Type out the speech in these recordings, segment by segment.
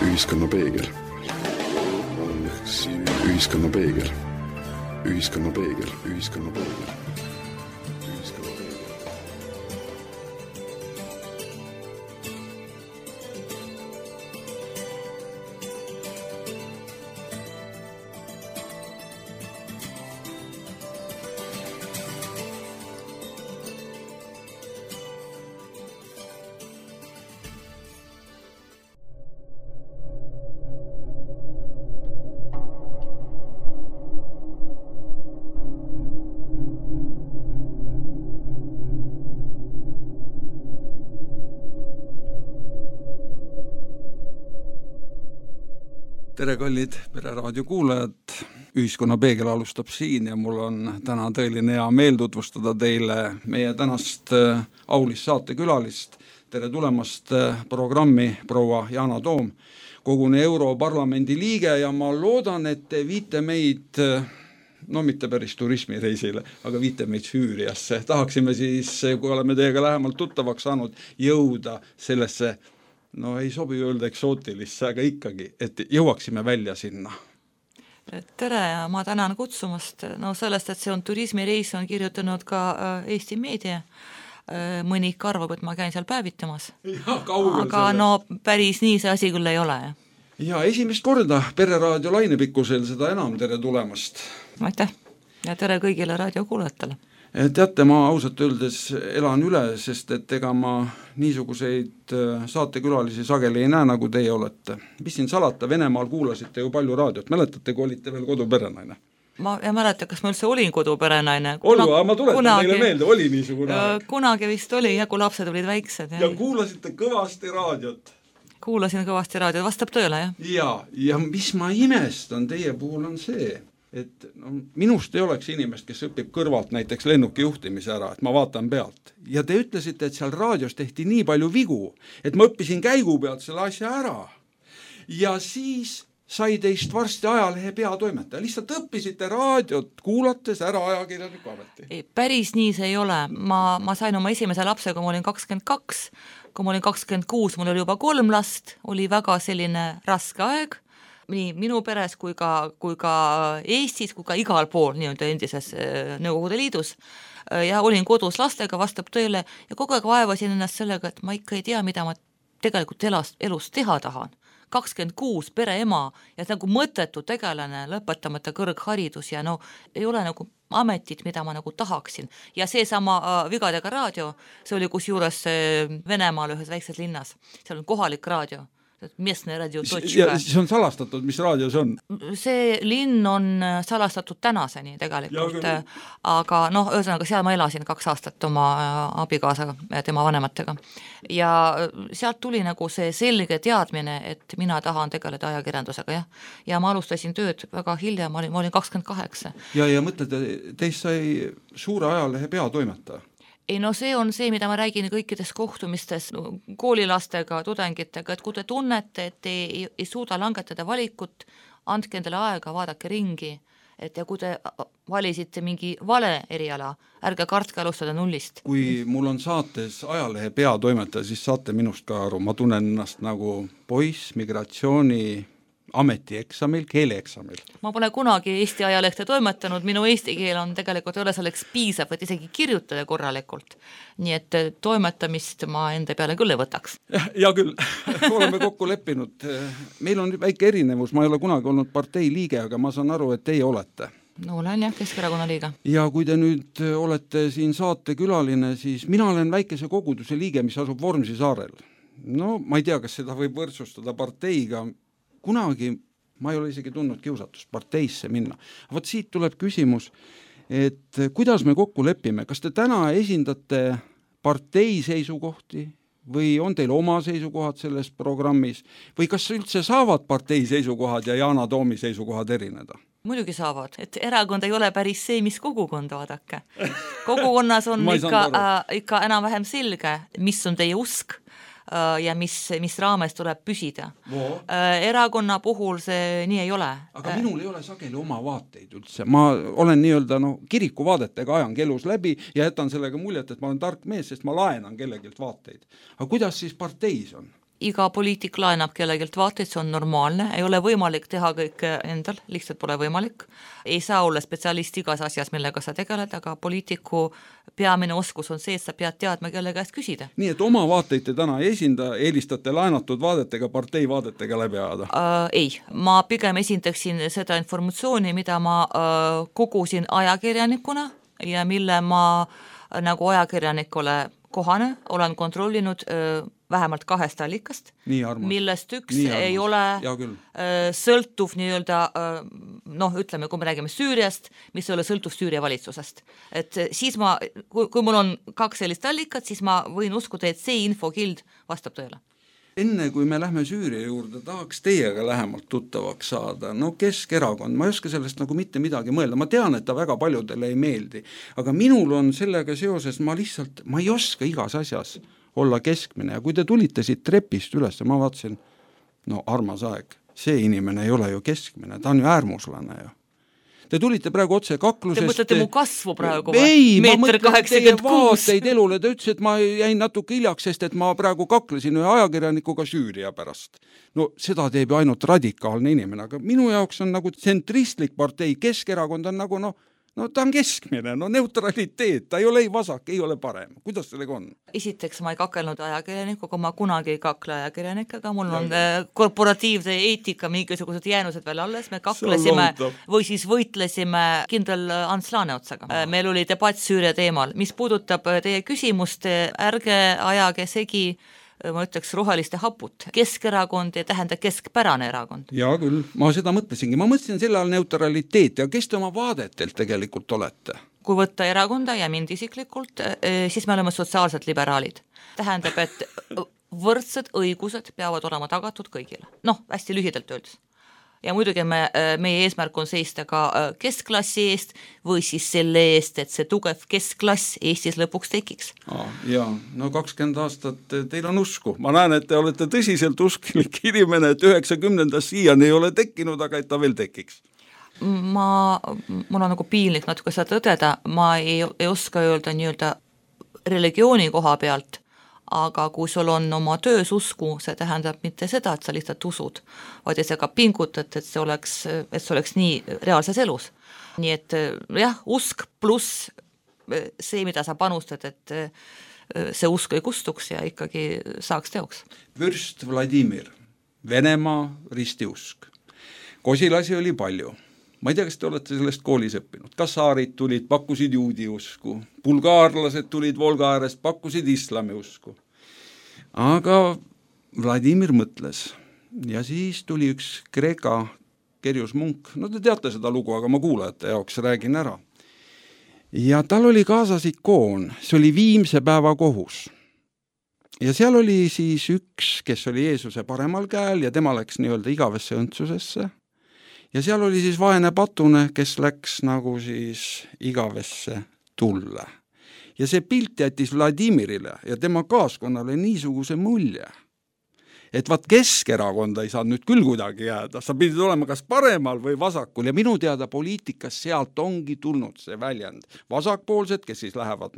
Ühiskonna peegel. Ühiskonna peegel. Ühiskonna peegel. Ühiskonna peegel. Tere, kallid Pereraadio kuulajad, Ühiskonna peegel alustab siin ja mul on täna tõeline hea meel tutvustada teile meie tänast aulist saatekülalist. Tere tulemast programmi proua Yana Toom, koguni Europarlamendi liige ja ma loodan, et te viite meid, no mitte päris turismireisile, aga viite meid Süüriasse. Tahaksime siis, kui oleme teiega lähemalt tuttavaks saanud, jõuda sellesse, no ei sobi öelda eksootilisse, aga ikkagi, et jõuaksime välja sinna. Tere ja ma tänan kutsumast. No sellest, et see on turismireis, on kirjutanud ka Eesti meedia. Mõni arvab, et ma käin seal päevitamas. Ja, aga no päris nii see asi küll ei ole. Ja esimest korda Pereraadio lainepikkusel, seda enam tere tulemast. Aitäh ja tere kõigile raadiokuulajatele. Teate, ma ausalt öeldes elan üle, sest et ega ma niisuguseid saatekülalisi sageli ei näe, nagu teie olete. Mis siin salata, Venemaal kuulasite ju palju raadiot. Mäletate, kui olite veel koduperenaine? Ma ei mäleta, kas ma üldse olin koduperenaine. Ma tuletan teile meelde, oli niisugune. Kunagi vist oli, ja kui lapsed olid väiksed. Ja kuulasite kõvasti raadiot. Kuulasin kõvasti raadiot, vastab tõele, jah? Ja mis ma imestan teie puhul on see, et minust ei oleks inimest, kes õpib kõrvalt näiteks lennuki juhtimise ära, et ma vaatan pealt. Ja te ütlesite, et seal raadios tehti nii palju vigu, et ma õppisin käigu pealt selle asja ära. Ja siis sai teist varsti ajalehe peatoimetaja. Lihtsalt õppisite raadiot kuulates ära ajakirjaniku ameti. Päris nii see ei ole. Ma sain oma esimese lapse, kui ma olin 22. Kui ma olin 26, mul oli juba 3 last, oli väga selline raske aeg. Nii minu peres kui ka Eestis, kui ka igal pool nii-öelda endises Nõukogude Liidus. Ja olin kodus lastega, vastab tõele ja kogu aeg vaevasin ennast sellega, et ma ikka ei tea, mida ma tegelikult elus teha tahan. 26 pereema ja nagu mõttetu tegelane, lõpetamata kõrgharidus ja no ei ole nagu ametit, mida ma nagu tahaksin. Ja see sama Vigadega raadio, see oli kusjuures Venemaal ühes väikses linnas. Seal on kohalik raadio. Местne radio. Ja see on salastatud, mis raadio see on? See linn on salastatud tänaseni tegelikult, aga ühesõnaga seal ma elasin 2 aastat oma abikaasaga ja tema vanematega. Ja sealt tuli nagu see selge teadmine, et mina tahan tegeleda ajakirjandusega, jah. Ja ma alustasin tööd väga hilja, ma olin 28. Ja mõtlete, teist sai suure ajalehe peatoimetaja? Ei, see on see, mida ma räägin kõikides kohtumistes koolilastega, tudengitega, et kui te tunnete, et te ei suuda langetada valikut, andke endale aega, vaadake ringi, et ja kui te valisite mingi vale eriala, ärge kartke alustada nullist. Kui mul on saates ajalehe peatoimetaja, siis saate minust ka aru, ma tunnen ennast nagu poiss migratsiooni ametieksamil, keeleeksamil. Ma pole kunagi Eesti ajalehte toimetanud, minu eesti keel on tegelikult ei ole selleks piisav, et isegi kirjutada korralikult. Nii et toimetamist ma enda peale küll ei võtaks. Ja küll, oleme kokku leppinud. Meil on väike erinevus, ma ei ole kunagi olnud partei liige, aga ma saan aru, et teie olete. No olen jah, Keskerakonna liiga. Ja kui te nüüd olete siin saatekülaline, siis mina olen väikese koguduse liige, mis asub Vormsi saarel. No ma ei tea, kas seda võib võrdsustada parteiga. Kunagi ma ei ole isegi tundnud kiusatust parteisse minna. Vot siit tuleb küsimus, et kuidas me kokku lepime? Kas te täna esindate partei seisukohti või on teil oma seisukohad selles programmis? Või kas üldse saavad partei seisukohad ja Yana Toomi seisukohad erineda? Muidugi saavad, et erakond ei ole päris see, mis kogukond vaadake. Kogukonnas on ikka enam vähem selge, mis on teie usk, ja mis raames tuleb püsida. Erakonna puhul see nii ei ole. Aga minul ei ole sageli oma vaateid üldse. Ma olen nii-öelda kirikuvaadetega ajan elus läbi ja jätan sellega muljet, et ma olen tark mees, sest ma laenan kellegilt vaateid. Aga kuidas siis parteis on? Iga poliitik laenab kellegilt vaateid, see on normaalne, ei ole võimalik teha kõik endal, lihtsalt pole võimalik. Ei saa olla spetsialist igas asjas, millega sa tegeled, aga poliitiku peamine oskus on see, et sa pead teadma, kelle käest küsida. Nii, et oma vaateid te täna ei esinda, eelistate laenatud vaadetega, partei vaadetega läbi ajada? Ei, ma pigem esindaksin seda informatsiooni, mida ma kogusin ajakirjanikuna ja mille ma nagu ajakirjanikule kohane olen kontrollinud vähemalt 2 allikast, millest üks ei ole sõltuv nii-öelda, ütleme, kui me räägime Süüriast, mis ei ole sõltuv Süüria valitsusest. Et siis kui mul on 2 sellist allikat, siis ma võin uskuda, et see infokild vastab tõele. Enne kui me lähme Süüria juurde, tahaks teiega lähemalt tuttavaks saada. Keskerakond, ma ei oska sellest mitte midagi mõelda. Ma tean, et ta väga paljudele ei meeldi. Aga minul on sellega seoses, ma ei oska igas asjas olla keskmine. Ja kui te tulite siit trepist üles, ma vaatasin, armas aeg. See inimene ei ole ju keskmine, ta on ju äärmuslane ju. Te tulite praegu otse kaklusest. Te mõtlete mu kasvu praegu? Ei, ma mõtlen teie vaateid elule. Ta ütles, et ma jäin natuke hiljaks, sest et ma praegu kaklesin ühe ajakirjanikuga Süüria pärast. Seda teeb ju ainult radikaalne inimene, aga minu jaoks on nagu tsentristlik partei. Keskerakond on ta on keskmine, neutraliteet, ta ei ole ei vasak, ei ole parem. Kuidas sellega on? Esiteks ma ei kakelnud ajakirjanikuga, ma kunagi ei kakle ajakirjanikega, mul on korporatiivse eetika mingisugused jäänused veel alles, me kaklesime või siis võitlesime kindral Ants Laaneotsaga. Meil oli debatt Süüria teemal. Mis puudutab teie küsimust, ärge ajage segi, ma ütleks roheliste haput. Keskerakond ei tähenda keskpärane erakond. Jaa küll, ma seda mõtlesingi. Ma mõtlesin selle all neutraliteet ja kes te oma vaadetelt tegelikult olete? Kui võtta erakonda ja mind isiklikult, siis me oleme sotsiaalsed liberaalid. Tähendab, et võrdsed õigused peavad olema tagatud kõigile. Hästi lühidalt öeldes. Ja muidugi meie eesmärk on seista ka keskklassi eest või siis selle eest, et see tugev keskklass Eestis lõpuks tekiks. Jaa, 20 aastat teil on usku. Ma näen, et te olete tõsiselt usklik inimene, et 90. siiani ei ole tekkinud, aga et ta veel tekiks. Mul on nagu piinlik natuke seda tõdeda, ma ei oska öelda nii-öelda religiooni koha pealt, aga kui sul on oma töös usku, see tähendab mitte seda, et sa lihtsalt usud, vaid sa ka pingutad, et see oleks nii reaalses elus. Nii et jah, usk pluss see, mida sa panustad, et see usk ei kustuks ja ikkagi saaks teoks. Vürst Vladimir, Venemaa ristiusk. Kosilasi oli palju. Ma ei tea, kas te olete sellest koolis õppinud. Kasaarid tulid, pakkusid juudi usku. Bulgaarlased tulid Volga äärest, pakkusid islami usku. Aga Vladimir mõtles ja siis tuli üks Kreeka Kerjus Munk. Te teate seda lugu, aga ma kuulajate jaoks räägin ära. Ja tal oli kaasas ikoon, see oli Viimse päeva kohus. Ja seal oli siis üks, kes oli Jeesuse paremal käel ja tema läks nii-öelda igavesse õndsusesse. Ja seal oli siis vaene patune, kes läks nagu siis igavesse tulle. Ja see pilt jättis Vladimirile ja tema kaaskonnale niisuguse mulje, et Keskerakonda ei saa nüüd küll kuidagi jääda, sa pidid olema kas paremal või vasakul ja minu teada poliitikas sealt ongi tulnud see väljend. Vasakpoolsed, kes siis lähevad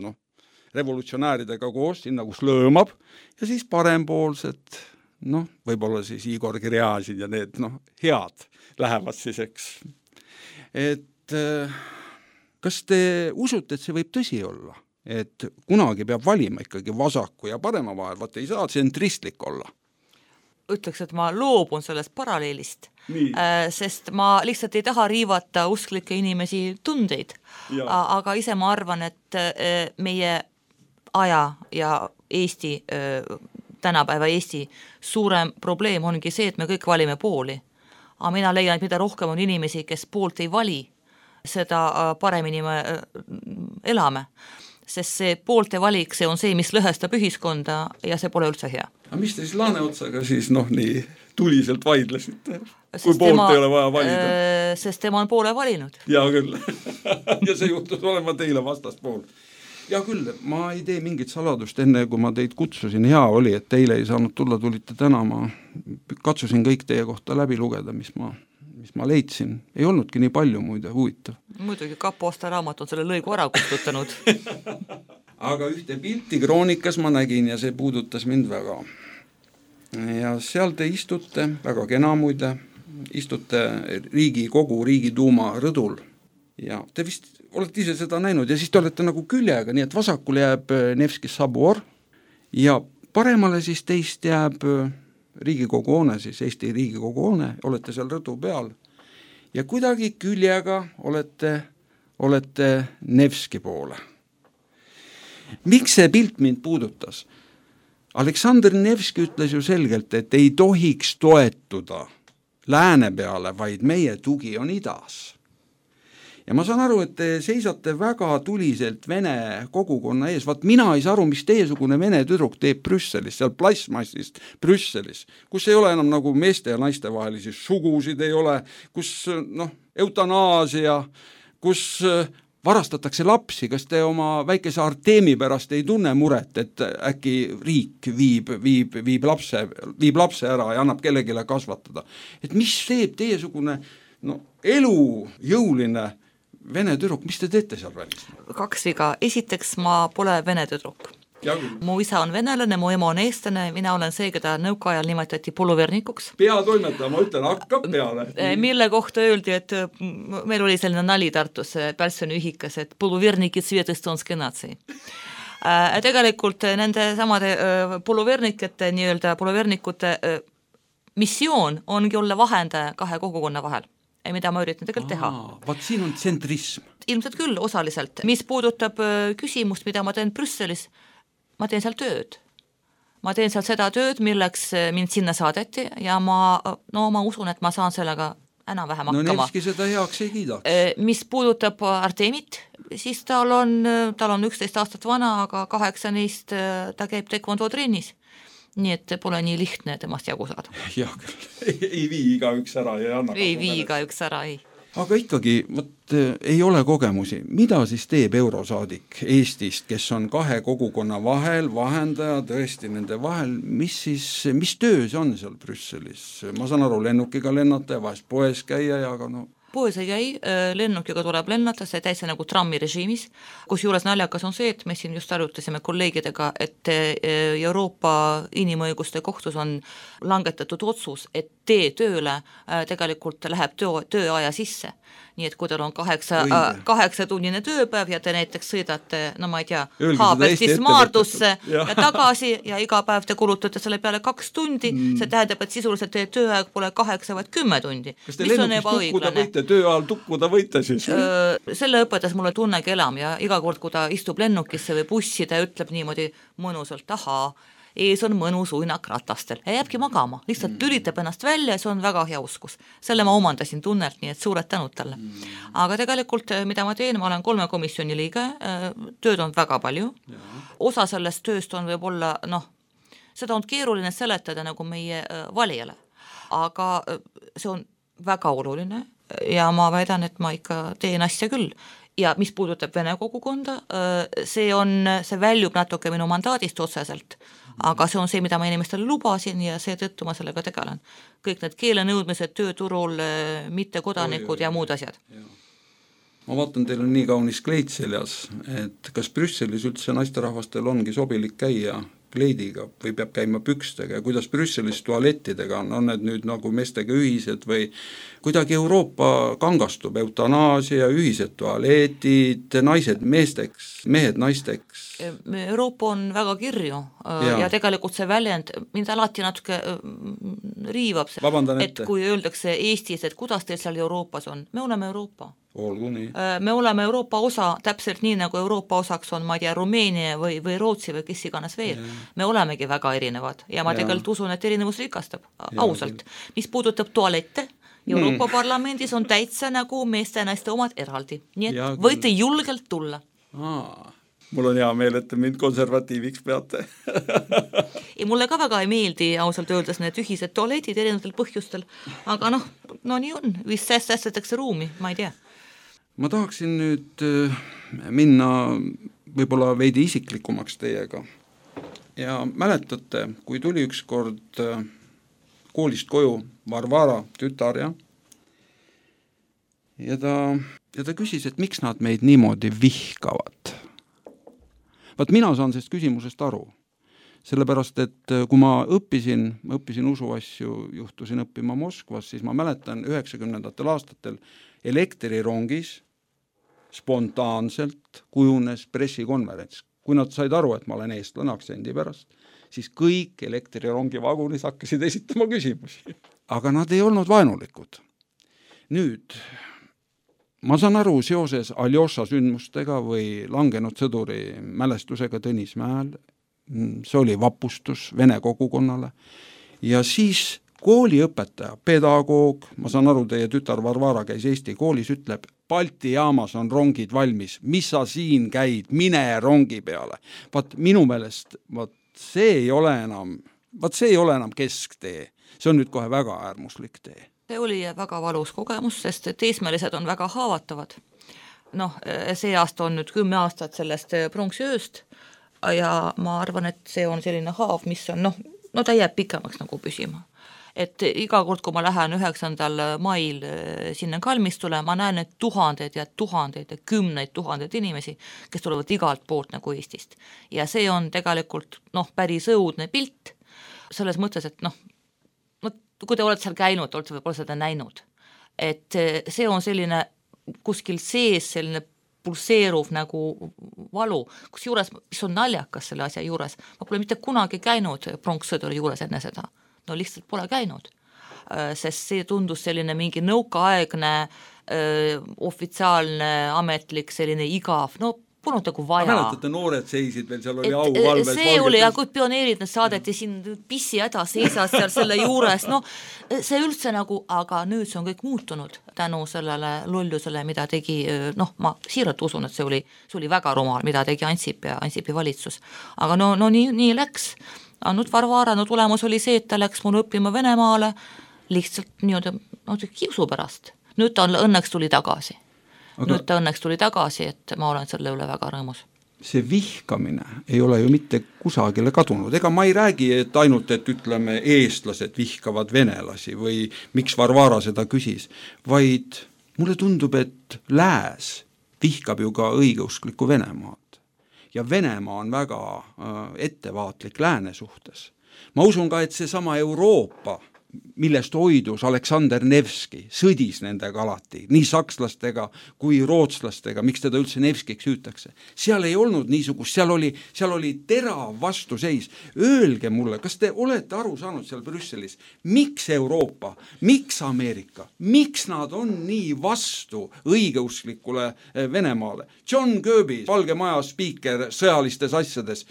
revolutsionääridega koos, sinna kus lõõmab ja siis parempoolsed, võib-olla siis Igor Kirjasin ja need head lähevad siis, eks. Et kas te usute, et see võib tõsi olla? Et kunagi peab valima ikkagi vasaku ja parema vahel, ei saa tsentristlik olla? Ütleks, et ma loobun sellest paralleelist, sest ma lihtsalt ei taha riivata usklikke inimesi tundeid, aga ise ma arvan, et meie aja ja Eesti, tänapäeva Eesti suurem probleem ongi see, et me kõik valime pooli. Aga mina leian, et mida rohkem on inimesi, kes poolt ei vali, seda paremini me elame. Sest see poolte valik, see on see, mis lõhestab ühiskonda ja see pole üldse hea. Aga mis te siis Laaneotsaga siis nii tuliselt vaidlesite, kui poolt ei ole vaja valida? Sest tema on poole valinud. Jaa küll. Ja see juhtus olema teile vastaspool. Ja küll, ma ei tee mingit saladust enne, kui ma teid kutsusin, hea oli, et teile ei saanud tulla, tulite täna, ma katsusin kõik teie kohta läbi lugeda, mis ma leidsin. Ei olnudki nii palju muide, huvitav. Muidugi Kapo Osta raamat on selle lõigu ära kustutanud. Aga ühte pilti kroonikas ma nägin ja see puudutas mind väga. Ja seal te istute, väga kena muide, istute Riigikogu, Riigiduuma rõdul ja te vist olete ise seda näinud ja siis te olete nagu küljega, nii et vasakul jääb Nevski sabor ja paremale siis teist jääb Riigikogu hoone, siis Eesti Riigikogu hoone, olete seal rõdu peal ja kuidagi küljega olete Nevski poole. Miks see pilt mind puudutas? Aleksandr Nevski ütles ju selgelt, et ei tohiks toetuda lääne peale, vaid meie tugi on idas. Ja ma saan aru, et te seisate väga tuliselt vene kogukonna ees. Vaat mina ei saa aru, mis teiesugune vene tüdruk teeb Brüsselis, seal plasmassist Brüsselis, kus ei ole enam nagu meeste ja naiste vahelisi sugusid ei ole, kus eutanaasia, kus varastatakse lapsi, kas te oma väikese Artemi pärast ei tunne muret, et äkki riik viib lapse ära ja annab kellegile kasvatada. Et mis teeb teiesugune elujõuline vene tüdruk, mis te teete seal välis? 2 viga. Esiteks, ma pole vene tüdruk. Mu isa on venelane, mu ema on eestlane, mina olen see, keda nõukaajal nimetati poluvernikuks. Peatoimetaja, ma ütlen, hakkab peale. Mille kohta öeldi, et meil oli selline nali Tartus Pälsoni ühikas, et poluverniki Svetestonski natsi. Tegelikult nende samade poluvernikute, nii-öelda poluvernikute missioon ongi olla vahendaja 2 kogukonna vahel. Mida ma üritan tegelikult teha. Vaat siin on tsentrism. Ilmselt küll osaliselt. Mis puudutab küsimust, mida ma teen Brüsselis, ma teen seal tööd. Ma teen seal seda tööd, milleks mind sinna saadeti ja ma usun, et ma saan sellega enam-vähem hakkama. No Nevski seda heaks ei kiidaks. Mis puudutab Artemit, siis tal on 11 aastat vana, aga 8 neist ta käib taekwondo trennis. Nii et pole nii lihtne temast jagu saada. Jah, küll. Ei vii igaüks ära ja anna. Ei vii igaüks ära, ei. Aga ikkagi, ei ole kogemusi. Mida siis teeb eurosaadik Eestist, kes on 2 kogukonna vahel, vahendaja tõesti nende vahel, mis töö see on seal Brüsselis? Ma saan aru, lennukiga lennata ja vahest poes käia ja aga Poes ei käi, lennukiga tuleb lennata, see täitsa nagu trammi režiimis, kus juures naljakas on see, et me siin just arutasime kolleegidega, et Euroopa inimõiguste kohtus on langetatud otsus, et tee tööle tegelikult läheb tööaja sisse. Nii et kui teil on 8-tunnine tööpäev ja te näiteks sõidate, ma ei tea, Haabestist Maardusse ja tagasi ja iga päev te kulutate selle peale 2 tundi, see tähendab, et sisuliselt teie tööaeg pole 8, vaid 10 tundi. Kas te lennukis tööajal tukkuda võite siis? Selle õpetas mulle Tunne Kelam ja iga kord, kui ta istub lennukisse või bussi, ta ütleb niimoodi mõnusalt, ees on mõnus uinak ratastel ja jääbki magama, lihtsalt lülitab ennast välja ja see on väga hea uskus. Selle ma omandasin Tunnelt, nii et suured tänud talle. Aga tegelikult, mida ma teen, ma olen 3 komisjoni liige, tööd on väga palju. Osa sellest tööst on võib-olla, seda on keeruline seletada nagu meie valijale, aga see on väga oluline ja ma väidan, et ma ikka teen asja küll. Ja mis puudutab vene kogukonda, see väljub natuke minu mandaadist otseselt, aga see on see, mida ma inimestele lubasin ja seetõttu ma sellega tegelen. Kõik need keelenõudmised, tööturul, mittekodanikud ja muud asjad. Ma vaatan, teil on nii kaunis kleit seljas, et kas Brüsselis üldse naisterahvastel ongi sobilik käia kleidiga või peab käima pükstega ja kuidas Brüsselis tualettidega on need nüüd nagu meestega ühised või kuidagi Euroopa kangastub, eutanaasia, ühised tualetid, naised meesteks, mehed naisteks? Euroopa on väga kirju ja tegelikult see väljend, mind alati natuke riivab see, et kui öeldakse Eestis, et kuidas teil seal Euroopas on, me oleme Euroopa. Me oleme Euroopa osa täpselt nii, nagu Euroopa osaks on, ma ei tea, Rumeenia või Rootsi või kes iganes veel. Me olemegi väga erinevad ja ma tegelikult usun, et erinevus rikastab, ausalt. Mis puudutab tualette, Euroopa Parlamendis on täitsa nagu meeste ja naiste omad eraldi, nii et võite julgelt tulla. Mul on hea meel, et te mind konservatiiviks peate. Mulle ka väga ei meeldi ausalt öeldes need ühised tualetid erinevatel põhjustel, aga nii on, vist säästetakse ruumi, ma ei tea. Ma tahaksin nüüd minna võib-olla veidi isiklikumaks teiega. Ja mäletate, kui tuli ükskord koolist koju Varvara tütar ja ta küsis, et miks nad meid niimoodi vihkavad. Vaat mina saan sellest küsimusest aru. Sellepärast, et kui ma õppisin usuasju, juhtusin õppima Moskvas, siis ma mäletan 90ndatel aastatel elektrirongis spontaanselt kujunes pressikonverents. Kui nad said aru, et ma olen eestlane aktsendi pärast, siis kõik elektrirongi vagunis hakkasid esitama küsimusi. Aga nad ei olnud vaenulikud. Nüüd, ma saan aru seoses Aljoša sündmustega või langenud sõduri mälestusega Tõnismäel, see oli vapustus vene kogukonnale, ja siis kooliõpetaja, pedagoog, ma saan aru, teie tütar Varvara käis Eesti koolis, ütleb, Balti jaamas on rongid valmis, mis sa siin käid, mine rongi peale. Vaat minu meelest, see ei ole enam kesktee, see on nüüd kohe väga äärmuslik tee. See oli väga valus kogemus, sest teismelised on väga haavatavad. See aasta on nüüd 10 aastat sellest pronksiööst ja ma arvan, et see on selline haav, mis on, ta jääb pikemaks nagu püsima. Et iga kord, kui ma lähen 9. mail sinna kalmistule, ma näen need tuhandeid ja kümneid tuhandeid inimesi, kes tulevad igalt poolt nagu Eestist. Ja see on tegelikult päris õudne pilt, selles mõttes, et kui te olete seal käinud, olete võib-olla seda näinud. Et see on selline kuskil sees, selline pulseeruv nagu valu, kus juures, mis on naljakas selle asja juures. Ma pole mitte kunagi käinud pronkssõduri juures enne seda. Lihtsalt pole käinud, sest see tundus selline mingi nõukaaegne ofitsiaalne, ametlik, selline igav, polnud nagu vaja. Mäletate, noored seisid veel, seal oli auvalves. See oli, ja kui pioneerid need saadeti siin pissi häda seisas seal selle juures, see üldse nagu, aga nüüd see on kõik muutunud tänu sellele lollusele, mida tegi, ma siiralt usun, et see oli väga rumal, mida tegi Ansip ja Ansipi valitsus. Aga nii läks. Nüüd Varvara tulemus oli see, et ta läks mul õppima Venemaale lihtsalt kiusu pärast. Nüüd ta õnneks tuli tagasi. Et ma olen selle üle väga rõõmus. See vihkamine ei ole ju mitte kusagile kadunud. Ega ma ei räägi, et ainult, et ütleme, eestlased vihkavad venelasi või miks Varvara seda küsis, vaid mulle tundub, et lääs vihkab ju ka õigeusklikku Venemaad. Ja Venemaa on väga ettevaatlik lääne suhtes. Ma usun ka, et see sama Euroopa, millest hoidus Aleksander Nevski, sõdis nendega alati, nii sakslastega kui rootslastega, miks teda üldse Nevskiks hüütakse. Seal ei olnud niisugust, seal oli terav vastuseis. Öelge mulle, kas te olete aru saanud seal Brüsselis, miks Euroopa, miks Ameerika, miks nad on nii vastu õigeusklikule Venemaale? John Kirby, Valge Maja spiiker sõjalistes asjades,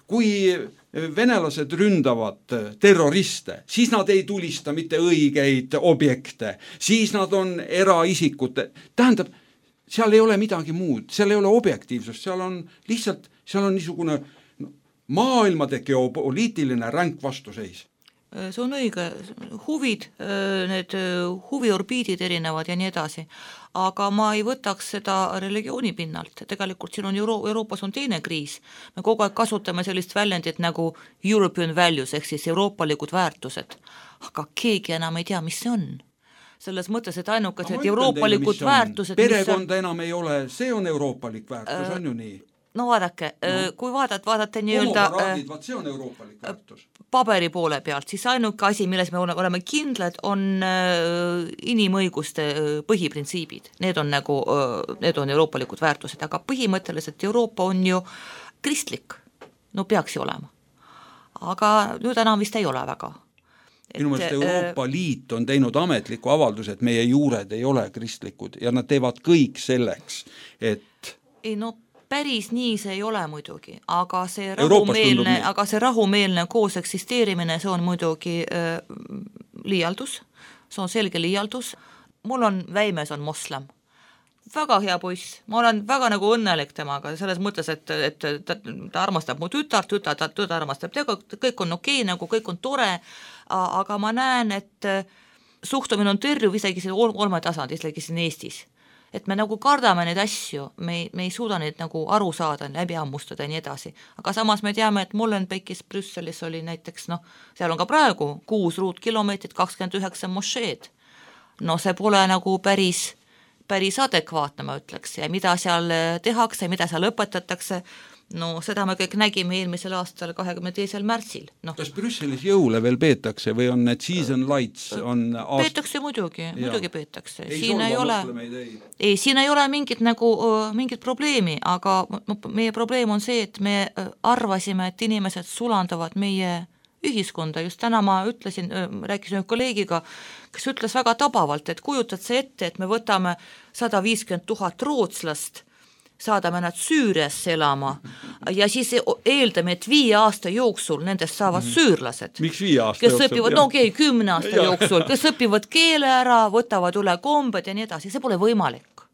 kui venelased ründavad terroriste, siis nad ei tulista mitte õigeid objekte, siis nad on eraisikute. Tähendab, seal ei ole midagi muud, seal ei ole objektiivsust, seal on niisugune maailmade geopoliitiline ränk vastuseis. See on õige, huvid, need huviorbiidid erinevad ja nii edasi, aga ma ei võtaks seda religiooni pinnalt, tegelikult siin on Euroopas on teine kriis, me kogu aeg kasutame sellist väljendit nagu European values, ehk siis euroopalikud väärtused, aga keegi enam ei tea, mis see on. Selles mõttes, et ainukesed euroopalikud väärtused... Perekonda enam ei ole, see on euroopalik väärtus, on ju nii? Vaadake, kui vaadate nii-öelda see on euroopalik väärtus. Paberi poole pealt, siis ainuke asi, milles me oleme kindlad, on inimõiguste põhiprintsiibid. Need on euroopalikud väärtused, aga põhimõtteliselt Euroopa on ju kristlik. Peaks ju olema. Aga nüüd enam vist ei ole väga. Minu meelest Euroopa Liit on teinud ametliku avalduse, et meie juured ei ole kristlikud ja nad teevad kõik selleks, et... Päris nii see ei ole muidugi, aga see rahumeelne koos eksisteerimine, see on muidugi liialdus, see on selge liialdus. Mul on väimes on moslem, väga hea poiss, ma olen väga nagu õnnelik temaga, selles mõttes, et ta armastab mu tütar armastab, kõik on okei, nagu kõik on tore, aga ma näen, et suhtumine on terve isegi see olmetasand, isegi siin Eestis. et me nagu kardame neid asju, me ei suuda neid nagu aru saada, läbi ammustada ja nii edasi. Aga samas me teame, et Molenbeekis Brüsselis oli näiteks, seal on ka praegu 6 ruutkilomeetrit, 29 mošeed. See pole nagu päris adekvaatne, ma ütleks, ja mida seal tehakse, mida seal õpetatakse, seda me kõik nägime eelmisel aastal 22. märtsil. Kas Brüsselis jõule veel peetakse või on need season lights? Peetakse muidugi peetakse. Siin ei ole mingit probleemi, aga meie probleem on see, et me arvasime, et inimesed sulandavad meie ühiskonda. Just täna ma rääkisin ühe kolleegiga, kes ütles väga tabavalt, et kujutad see ette, et me võtame 150 000 rootslast, saadame nad Süüriasse elama ja siis eeldame, et 5 aasta jooksul nendest saavad süürlased. Miks 5 aasta kes õpivad, 10 aasta jooksul, kes õpivad keele ära, võtavad üle kombed ja nii edasi, see pole võimalik.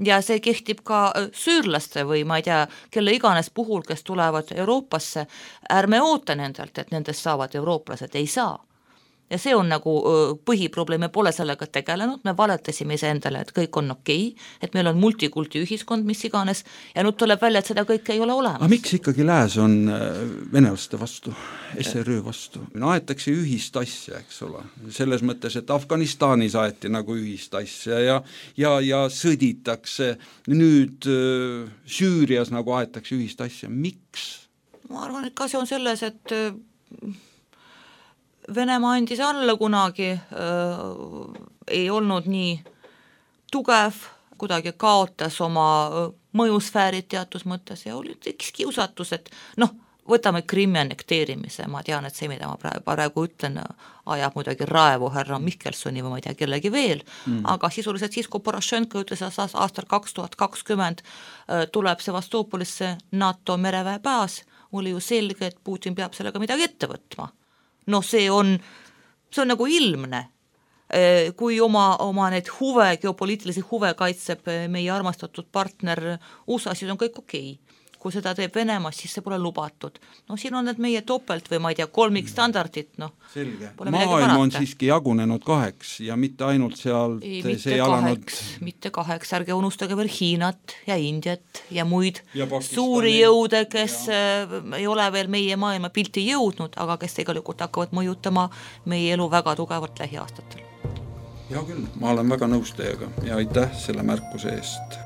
Ja see kehtib ka süürlaste või ma ei tea, kelle iganes puhul, kes tulevad Euroopasse, ärme oota nendelt, et nendest saavad eurooplased, ei saa. Ja see on nagu põhiprobleem, me pole sellega tegelenud, me valetasime iseendale, et kõik on okei, et meil on multikulti ühiskond, mis iganes, ja nüüd tuleb välja, et seda kõike ei ole olemas. Aga miks ikkagi lääs on venelaste vastu, SRÜ vastu? Aetakse ühist asja, eks ole, selles mõttes, et Afganistanis aeti nagu ühist asja ja sõditakse, nüüd Süürias nagu aetakse ühist asja, miks? Ma arvan, et ka see on selles, et Venemaa andis alla kunagi, ei olnud nii tugev, kuidagi kaotas oma mõjusfäärid teatud mõttes ja oli üks kiusatus, et võtame Krimmi annekteerimise, ma tean, et see, mida ma praegu ütlen, ajab muidugi raevu härra Mihkelsoni või ma ei tea kellegi veel, aga sisuliselt siis, kui Porošenko ütles aastal 2020 tuleb Sevastoopolisse NATO mereväe baas, oli ju selge, et Putin peab sellega midagi ette võtma. See on nagu ilmne, kui oma need geopoliitilisi huve kaitseb meie armastatud partner USA, siis on kõik okei. Kui seda teeb Venemaa, siis see pole lubatud. Siin on need meie topelt või ma ei tea, kolmikstandardid. Selge. Maailm on siiski jagunenud 2 ja mitte ainult sealt mitte 2, ärge unustage veel Hiinat ja Indiat ja muid suuri jõude, kes ei ole veel meie maailma pilti jõudnud, aga kes tegelikult hakkavad mõjutama meie elu väga tugevalt lähiaastatel. Ja küll, ma olen väga nõus teiega ja aitäh selle märkuse eest.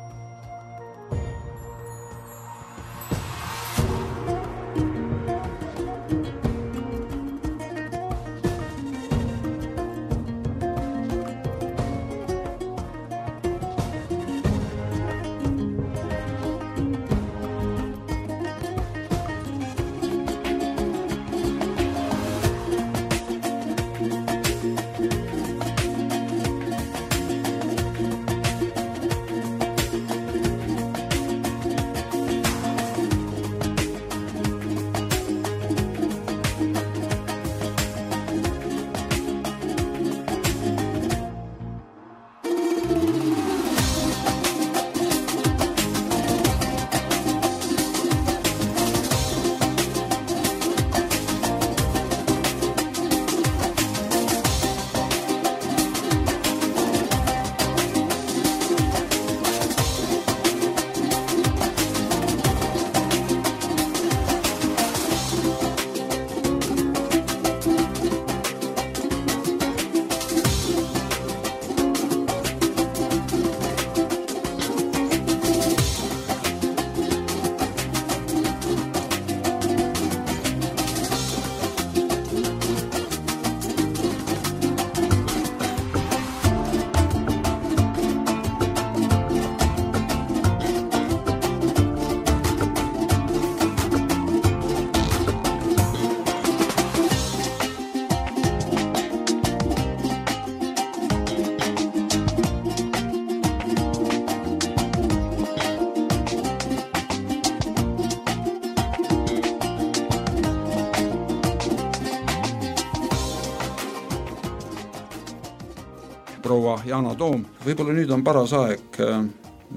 proua Yana Toom. Võib-olla nüüd on paras aeg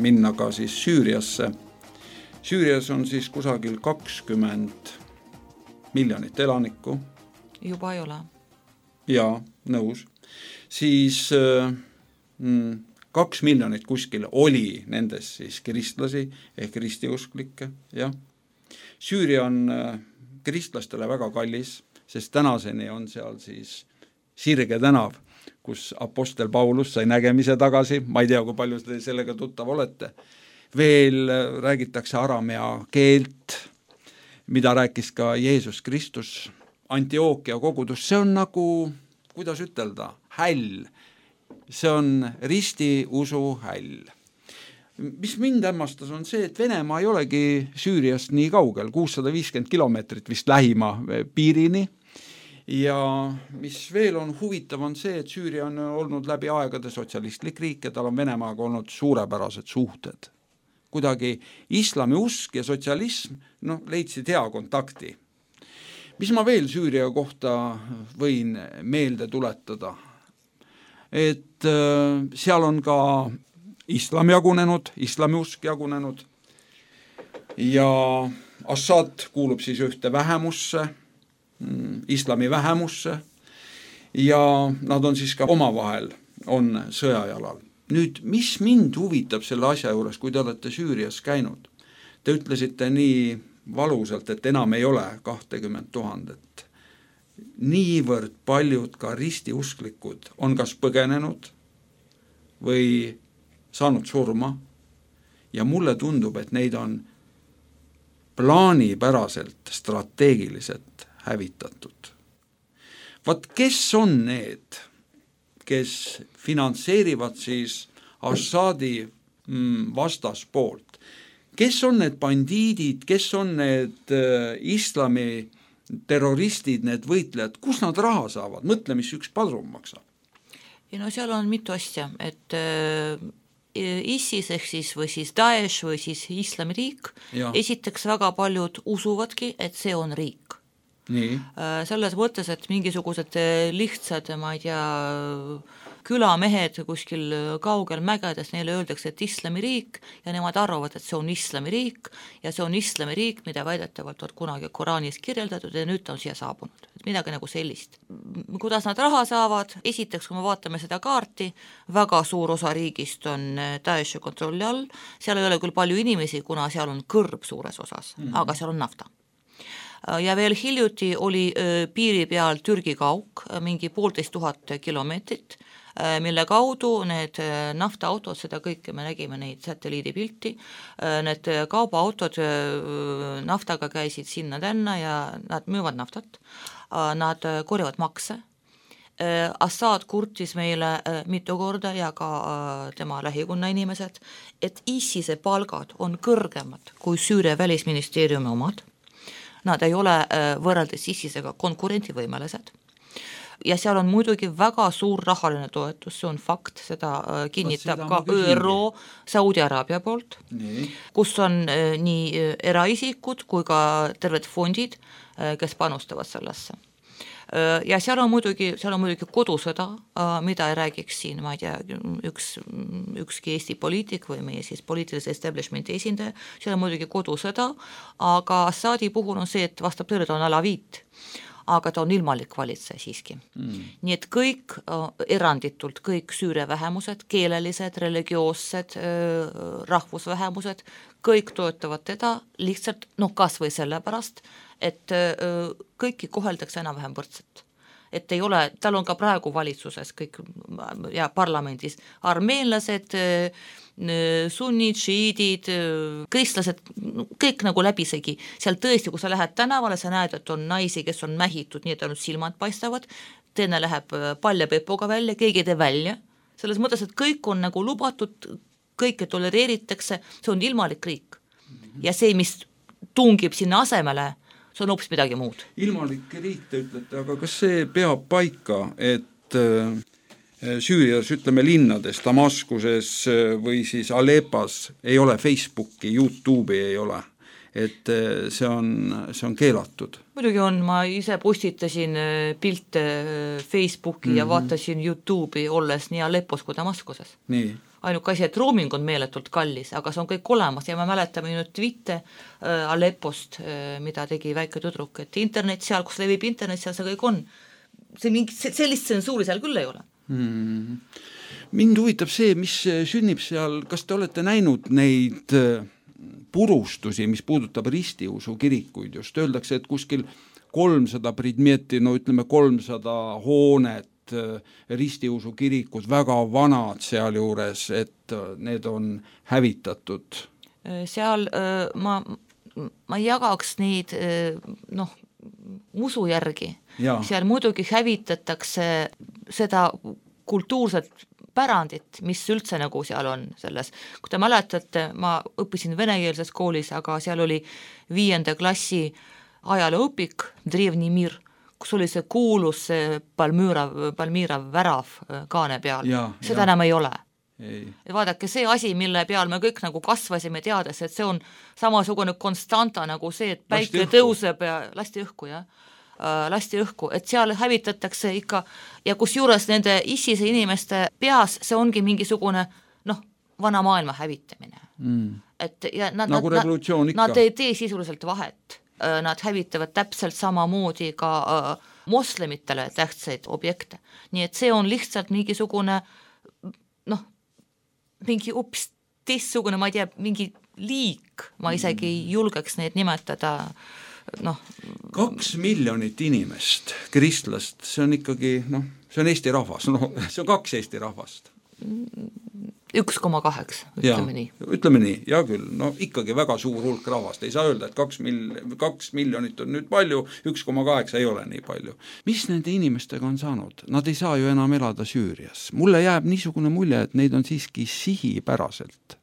minna ka siis Süüriasse. Süürias on siis kusagil 20 miljonit elanikku. Juba ei ole. Jaa, nõus. Siis 2 miljonit kuskil oli nendes siis kristlasi ehk ristiusklikke, jah. Süüria on kristlastele väga kallis, sest tänaseni on seal siis Sirge tänav, kus apostel Paulus sai nägemise tagasi, ma ei tea, kui palju te sellega tuttav olete. Veel räägitakse aramea keelt, mida rääkis ka Jeesus Kristus, Antiookia kogudus, see on nagu, kuidas ütelda, häll. See on ristiusu häll. Mis mind hämmastas on see, et Venemaa ei olegi Süüriast nii kaugel, 650 kilomeetrit vist lähima piirini. Ja mis veel on huvitav on see, et Süüria on olnud läbi aegade sotsialistlik riik ja tal on Venemaaga olnud suurepärased suhted. Kuidagi islami usk ja sotsialism leidsid hea kontakti. Mis ma veel Süüria kohta võin meelde tuletada? Et seal on ka islam jagunenud, islamiusk jagunenud ja Assad kuulub siis ühte vähemusse, islami vähemusse ja nad on siis ka omavahel on sõjajalal. Nüüd, mis mind huvitab selle asja juures, kui te olete Süürias käinud? Te ütlesite nii valusalt, et enam ei ole 20 000. Niivõrd paljud ka ristiusklikud on kas põgenenud või saanud surma ja mulle tundub, et neid on plaanipäraselt, strateegiliselt hävitatud. Vaat kes on need, kes finantseerivad siis Assadi vastaspoolt? Kes on need bandiidid, kes on need islami terroristid, need võitlejad, kus nad raha saavad? Mõtle, mis üks padrun maksab. Ja seal on mitu asja, et ISIS ehk siis või siis Daesh või siis islamiriik, esiteks väga paljud usuvadki, et see on riik. Nii. Selles mõttes, et mingisugused lihtsad, ma ei tea, külamehed kuskil kaugel mägedes, neile öeldakse, et islamiriik ja nemad arvavad, et see on islamiriik ja see on islamiriik, mida väidetavalt on kunagi Koraanis kirjeldatud ja nüüd ta on siia saabunud. Midagi nagu sellist. Kuidas nad raha saavad? Esiteks, kui me vaatame seda kaarti, väga suur osa riigist on Daeshi kontrolli all, seal ei ole küll palju inimesi, kuna seal on kõrb suures osas, aga seal on nafta. Ja veel hiljuti oli piiri peal Türgi kauk, mingi 1500 kilomeetrit, mille kaudu need naftaautod, seda kõike me nägime neid satelliidipilti, need kaubaautod naftaga käisid sinna tänna ja nad müüvad naftat, nad korjavad makse. Assad kurtis meile mitu korda ja ka tema lähikonna inimesed, et ISISe palgad on kõrgemad kui Süüria välisministeeriumi omad. Nad ei ole võrreldes ISISega konkurentivõimelised. Ja seal on muidugi väga suur rahaline toetus, see on fakt, seda kinnitab ka ÜRO Saudi Araabia poolt, kus on nii eraisikud kui ka terved fondid, kes panustavad sellesse. Ja seal on muidugi kodusõda, mida ei räägiks siin, ma ei tea, ükski Eesti poliitik või meie siis poliitilise establishmenti esindaja, seal on muidugi kodusõda, aga Assadi puhul on see, et vastab tõele, ta on alaviit, aga ta on ilmalik valitseja siiski. Nii et kõik eranditult, kõik Süüria vähemused, keelelised, religioossed, rahvusvähemused, kõik toetavad teda lihtsalt, kas või sellepärast, et kõiki koheldakse enam-vähem võrdselt. Et ei ole, tal on ka praegu valitsuses kõik ja parlamendis armeenlased, sunnid, šiidid, kristlased, kõik nagu läbisegi. Seal tõesti, kui sa lähed tänavale, sa näed, et on naisi, kes on mähitud, nii et ainult silmad paistavad, teine läheb palja pepoga välja, keegi ei tee välja. Selles mõttes, et kõik on nagu lubatud, kõike tolereeritakse, see on ilmalik riik. Ja see, mis tungib sinna asemele, see on hoopis midagi muud. Ilmalik riik, te ütlete, aga kas see peab paika, et Süürias, ütleme linnades, Damaskuses või siis Aleppas ei ole Facebooki, YouTube'i ei ole, et see on keelatud? Muidugi on, ma ise postitasin pilte Facebooki ja vaatasin YouTube'i olles nii Aleppos kui Damaskuses. Nii. Ainuke asi, et roaming on meeletult kallis, aga see on kõik olemas ja me mäletame nüüd tweete Aleppost, mida tegi väike tüdruk, et internet seal, kus levib internet, seal see kõik on. Sellist tsensuuri seal küll ei ole. mind huvitab see, mis sünnib seal, kas te olete näinud neid purustusi, mis puudutab ristiusu kirikuid, just öeldakse, et kuskil 300 predmeti, no ütleme 300 hoonet, ristiusu kirikud, väga vanad seal juures, et need on hävitatud. Seal ma jagaks neid usu järgi. Seal muidugi hävitatakse seda kultuurset pärandit, mis üldse nagu seal on selles. Kui te mäletate, ma õppisin venekeelses koolis, aga seal oli 5. klassi ajalooõpik Drevni Mir, kus oli see kuulus Palmyra värav kaane peal. Seda enam ei ole. Vaadake, see asi, mille peal me kõik nagu kasvasime teades, et see on samasugune konstanta nagu see, et päike tõuseb ja lasti õhku, et seal hävitatakse ikka ja kus juures nende issise inimeste peas see ongi mingisugune vana maailma hävitamine. Et, ja nagu revolutsioon ikka. Nad ei tee sisuliselt vahet. Nad hävitavad täpselt samamoodi ka moslemitele tähtsaid objekte. Nii et see on lihtsalt mingisugune mingi hoopis teistsugune, ma ei tea, mingi liik, ma isegi ei julgeks neid nimetada. 2 miljonit inimest, kristlast, see on ikkagi, see on Eesti rahvas, see on 2 Eesti rahvast. 1,8, ütleme nii. Ütleme nii, ja küll, ikkagi väga suur hulk rahvast, ei saa öelda, et 2 miljonit on nüüd palju, 1,8 ei ole nii palju. Mis nende inimestega on saanud? Nad ei saa ju enam elada Süürias. Mulle jääb niisugune mulje, et neid on siiski sihipäraselt.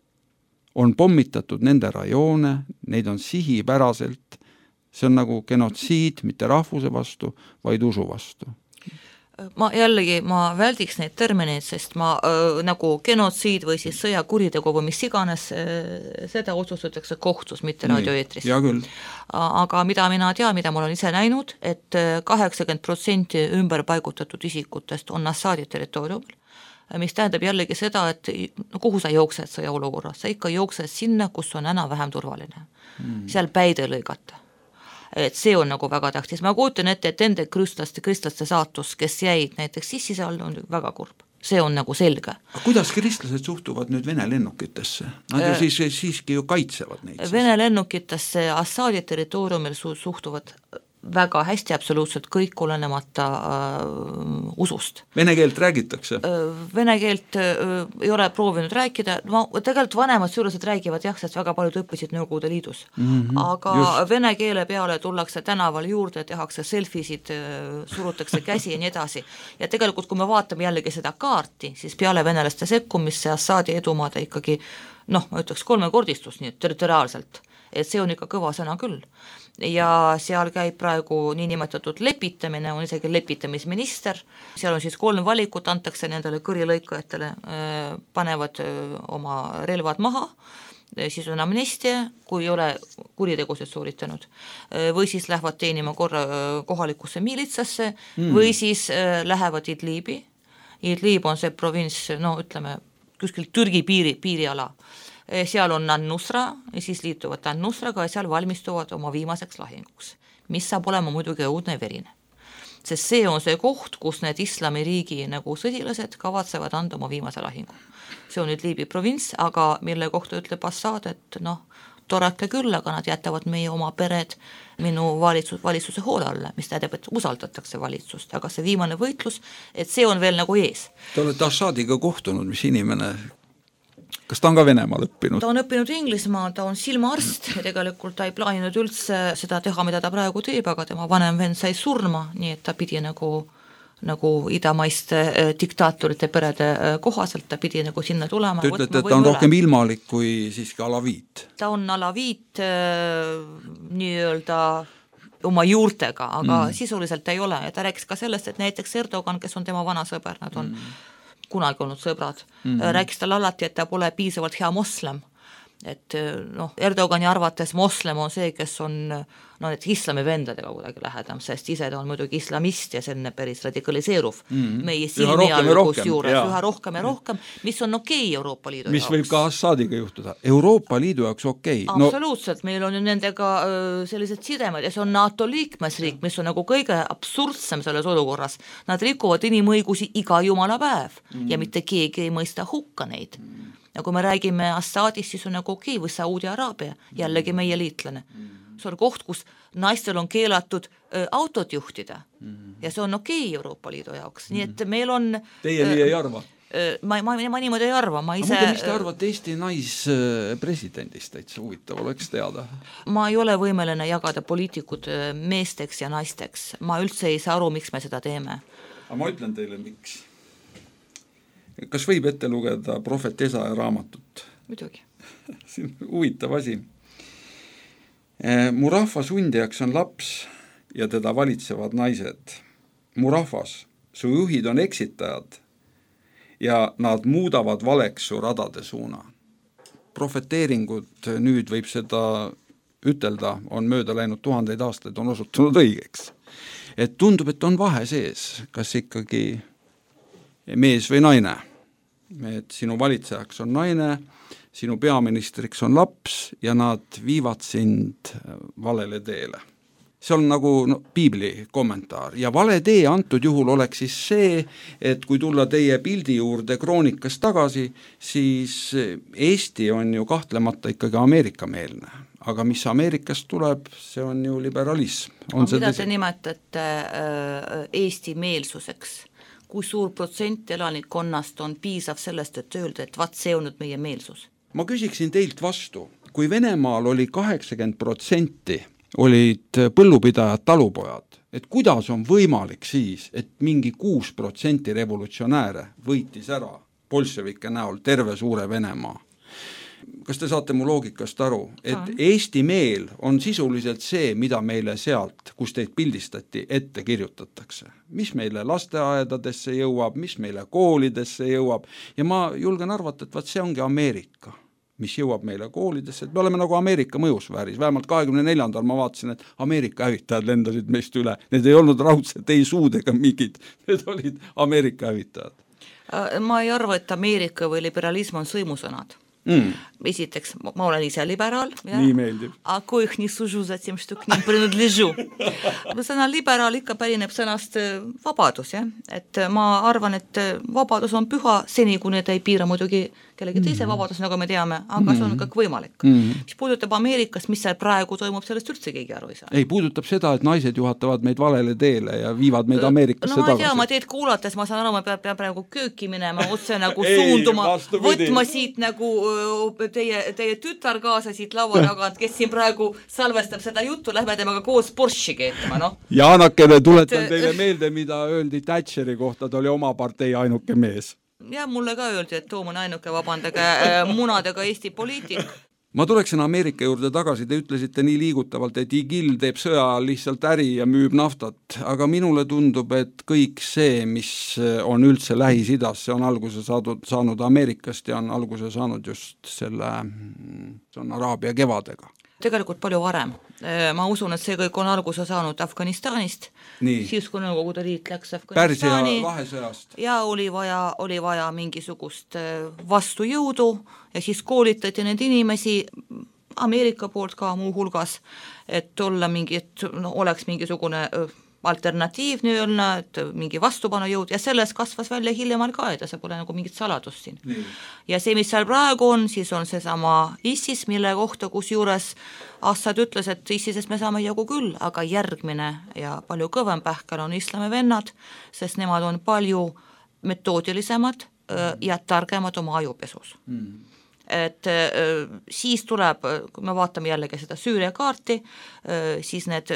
On pommitatud nende rajoone, neid on sihipäraselt, see on nagu genotsiid, mitte rahvuse vastu, vaid usu vastu. Ma väldiks neid termineid, sest nagu genotsiid või siis sõjakuritegu või mis iganes, seda otsustatakse kohtus, mitte radioeetris. Ja küll. Aga mida mina tean, mida mul on ise näinud, et 80% ümber paigutatud isikutest on Assadi territooriumil, mis tähendab jällegi seda, et kuhu sa jooksed sõjaolukorras, sa ikka jooksed sinna, kus on enam-vähem turvaline. Seal päide lõigata. Et see on nagu väga tähtis. Ma kujutan ette, et ende kristlaste saatus, kes jäid näiteks sissise all, on väga kurb. See on nagu selge. Aga kuidas kristlased suhtuvad nüüd Vene lennukitesse? Nad ju siiski ju kaitsevad neid. Vene lennukitesse Assadi territooriumil suhtuvad väga hästi, absoluutselt kõik olenemata usust. Vene keelt räägitakse? Vene keelt ei ole proovinud rääkida, tegelikult vanemad suurused räägivad sest väga paljud õppisid Nõukogude Liidus. Aga just. Vene keele peale tullakse tänaval juurde, tehakse selfisid, surutakse käsi ja nii edasi. Ja tegelikult, kui me vaatame jällegi seda kaarti, siis peale venelaste sekkumisse Assadi edumaade ikkagi, ma ütleks 3-kordistus nii territoriaalselt. Et see on ikka kõva sõna küll. Ja seal käib praegu niinimetatud lepitamine, on isegi lepitamisminister, seal on siis 3 valikut, antakse nendele kõrilõikajatele, panevad oma relvad maha, siis on amnestia, kui ei ole kuritegusid sooritanud, või siis lähevad teenima korra kohalikusse miilitsasse, või siis lähevad Idlibi. Idlib on see provints, ütleme, kuskil Türgi piiriala. Seal on An-Nusra ja siis liituvad An-Nusraga ja seal valmistuvad oma viimaseks lahinguks, mis saab olema muidugi õudne verine. Sest see on see koht, kus need islamiriigi nagu sõdilased kavatsevad anda oma viimase lahingu. See on nüüd Liibi provints, aga mille kohta ütleb Assad, et torake küll, aga nad jätavad meie oma pered minu valitsuse hoole alla, mis tähendab, et usaldatakse valitsust, aga see viimane võitlus, et see on veel nagu ees. Te olete Assadiga kohtunud, mis inimene... Kas ta on ka Venemaal õppinud? Ta on õppinud Inglismaa, ta on silmaarst ja tegelikult ta ei plaaninud üldse seda teha, mida ta praegu teeb, aga tema vanem vend sai surma, nii et ta pidi nagu idamaiste diktaatorite perede kohaselt, ta pidi nagu sinna tulema. Te ütlete, et ta on rohkem ilmalik kui siiski alaviit? Ta on alaviit nii-öelda oma juurtega, aga sisuliselt ei ole ja ta rääkis ka sellest, et näiteks Erdogan, kes on tema vana sõber, nad on kunagi olnud sõbrad, rääkis tal alati, et ta pole piisavalt hea moslem et noh, Erdogani arvates moslem on see, kes on et islami vendadega kuidagi lähedam, sest ise ta on muidugi islamist ja selline päris radikaliseeruv meie silmi all kusjuures üha rohkem ja rohkem, mis on okei Euroopa Liidu mis jaoks. Võib ka Assadiga juhtuda. Euroopa Liidu jaoks okei. Absoluutselt, meil on ju nendega sellised sidemed ja see on NATO liikmesriik, mis on nagu kõige absurdsem selles olukorras. Nad rikuvad inimõigusi iga jumala päev ja mitte keegi ei mõista hukka neid. Ja kui me räägime Assadist, siis on nagu okei, või Saudi Araabia, jällegi meie liitlane. See on koht, kus naistel on keelatud autot juhtida ja see on okei Euroopa Liidu jaoks. Nii et meil on... Teie nii ei arva? Ma niimoodi ei arva. Ma ise... Mis te arvate Eesti naispresidendist? Täitsa huvitav oleks teada. Ma ei ole võimeline jagada poliitikud meesteks ja naisteks. Ma üldse ei saa aru, miks me seda teeme. Aga ma ütlen teile, miks. Kas võib ette lugeda Prohvet Esaja raamatut? Muidugi. See on huvitav asi. Mu rahva sundijaks on laps ja teda valitsevad naised. Mu rahvas, su juhid on eksitajad ja nad muudavad valeks su radade suuna. Profeteeringud, nüüd võib seda ütelda, on mööda läinud 1000 aastaid, on osutunud õigeks. Et tundub, et on vahe sees, kas ikkagi mees või naine. Et sinu valitsejaks on naine, sinu peaministriks on laps ja nad viivad sind valele teele. See on nagu piibli kommentaar ja vale tee antud juhul oleks siis see, et kui tulla teie pildi juurde kroonikast tagasi, siis Eesti on ju kahtlemata ikkagi Ameerika-meelne, aga mis Ameerikast tuleb, see on ju liberalism. Mida te nimetate Eesti meelsuseks? Kui suur protsent elanikkonnast on piisav sellest, et öelda, et see on nüüd meie meelsus? Ma küsiksin teilt vastu, kui Venemaal oli 80% olid põllupidajad talupojad, et kuidas on võimalik siis, et mingi 6% revolutsionääre võitis ära bolševike näol terve suure Venemaa? Kas te saate mu loogikast aru, et Eesti meel on sisuliselt see, mida meile sealt, kus teid pildistati, ette kirjutatakse? Mis meile lasteaedadesse jõuab, mis meile koolidesse jõuab ja ma julgen arvata, et see ongi Ameerika, mis jõuab meile koolidesse, et me oleme nagu Ameerika mõjusfääris, vähemalt 24. ma vaatasin, et Ameerika hävitajad lendasid meist üle, need ei olnud raudselt ei suud ega mingid, need olid Ameerika hävitajad. Ma ei arva, et Ameerika või liberalism on sõimusõnad. Esiteks, ma olen ise liberaal. Nii meeldib. Ako ih nii sužu za tim, što k njim prinuдлежу. Sõna liberaal ikka pärineb sõnast vabadus. Ja? Et ma arvan, et vabadus on püha seni, kui need ei piira muidugi kellegi teise vabadus, nagu me teame, aga see on kõik võimalik. Mis puudutab Ameerikas, mis seal praegu toimub, sellest üldse keegi aru ei saa. Ei, puudutab seda, et naised juhatavad meid valele teele ja viivad meid Ameerikasse tagasi. No ma ei tea, ma teed kuulates, ma saan aru, ma peab praegu kööki minema, otse nagu suunduma, võtma siit nagu teie tütar kaasa siit laua tagant, kes siin praegu salvestab seda juttu, lähme temaga koos Porsche keetama, noh. Jaanakene, tuletan teile meelde, mida öeldi Thatcheri kohta, ta oli oma partei ainuke mees. Ja mulle ka öeldi, et Toom on ainuke vabandage munadega Eesti poliitik. Ma tuleksin Ameerika juurde tagasi, te ütlesite nii liigutavalt, et IGIL teeb sõja lihtsalt äri ja müüb naftat, aga minule tundub, et kõik see, mis on üldse Lähis-Idas, see on alguse saanud Ameerikast ja on alguse saanud just see on Araabia kevadega. Tegelikult palju varem. Ma usun, et see kõik on alguse saanud Afganistanist, siis kui Nõukogude Liit läks Afganistani ja oli vaja mingisugust vastujõudu ja siis koolitati need inimesi Ameerika poolt ka muu hulgas, et olla oleks mingisugune alternatiiv nii-öelda, et mingi vastupanujõud ja sellest kasvas välja hiljem Al-Qaeda, see pole nagu mingit saladust siin. Ja see, mis seal praegu on, siis on seesama ISIS, mille kohta, kus juures Assad ütles, et ISISest me saame jagu küll, aga järgmine ja palju kõvem pähkel on islami vennad, sest nemad on palju metoodilisemad ja targemad oma ajupesus. Et siis tuleb, kui me vaatame jällegi seda Süüria kaarti, siis need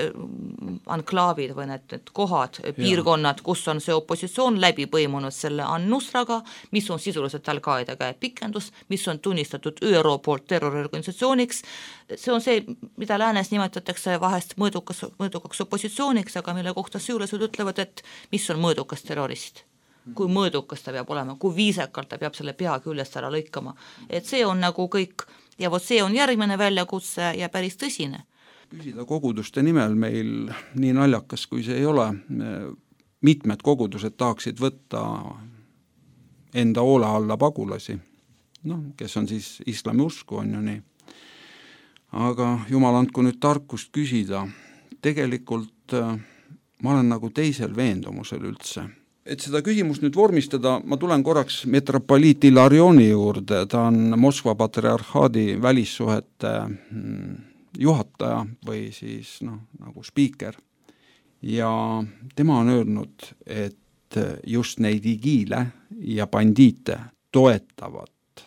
anklaavid või need kohad, piirkonnad, kus on see opositsioon läbi põimunud selle An-Nusraga, mis on sisuliselt Al-Qaeda käepikendus, mis on tunnistatud ÜRO poolt terroriorganisatsiooniks, see on see, mida läänes nimetatakse vahest mõõdukaks opositsiooniks, aga mille kohta süülased ütlevad, et mis on mõõdukas terrorist. Kui mõõdukas ta peab olema, kui viisakalt ta peab selle pea küljest ära lõikama. Et see on nagu kõik ja vot see on järgmine väljakutse ja päris tõsine. Küsida koguduste nimel meil nii naljakas, kui see ei ole. Mitmed kogudused tahaksid võtta enda hoole alla pagulasi, kes on siis islami usku, on ju nii. Aga jumal andku nüüd tarkust küsida. Tegelikult ma olen nagu teisel veendumusel üldse. Et seda küsimust nüüd vormistada, ma tulen korraks metropoliit Ilarioni juurde, ta on Moskva patriarhaadi välissuhete juhataja või siis nagu spiiker. Ja tema on öelnud, et just neid igiile ja bandiite toetavad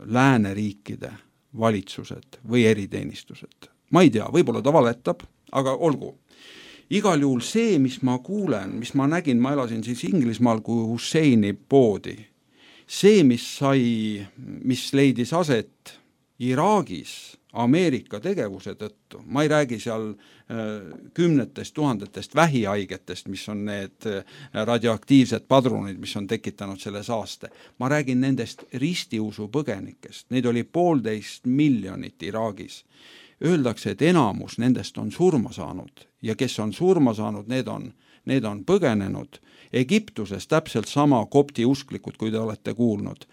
lääneriikide valitsused või eriteenistused. Ma ei tea, võib-olla ta valetab, aga olgu. Igal juhul see, mis ma kuulen, mis ma nägin, ma elasin siis Inglismaal kui Husseini poodi. See, mis leidis aset Iraagis Ameerika tegevuse tõttu, ma ei räägi seal 10 000 vähihaigetest, mis on need radioaktiivsed padrunid, mis on tekitanud selle saaste. Ma räägin nendest ristiusu põgenikest, neid oli 1,5 miljonit Iraagis. Öeldakse, et enamus nendest on surma saanud ja kes on surma saanud, need on põgenenud. Egiptuses täpselt sama kopti usklikud, kui te olete kuulnud.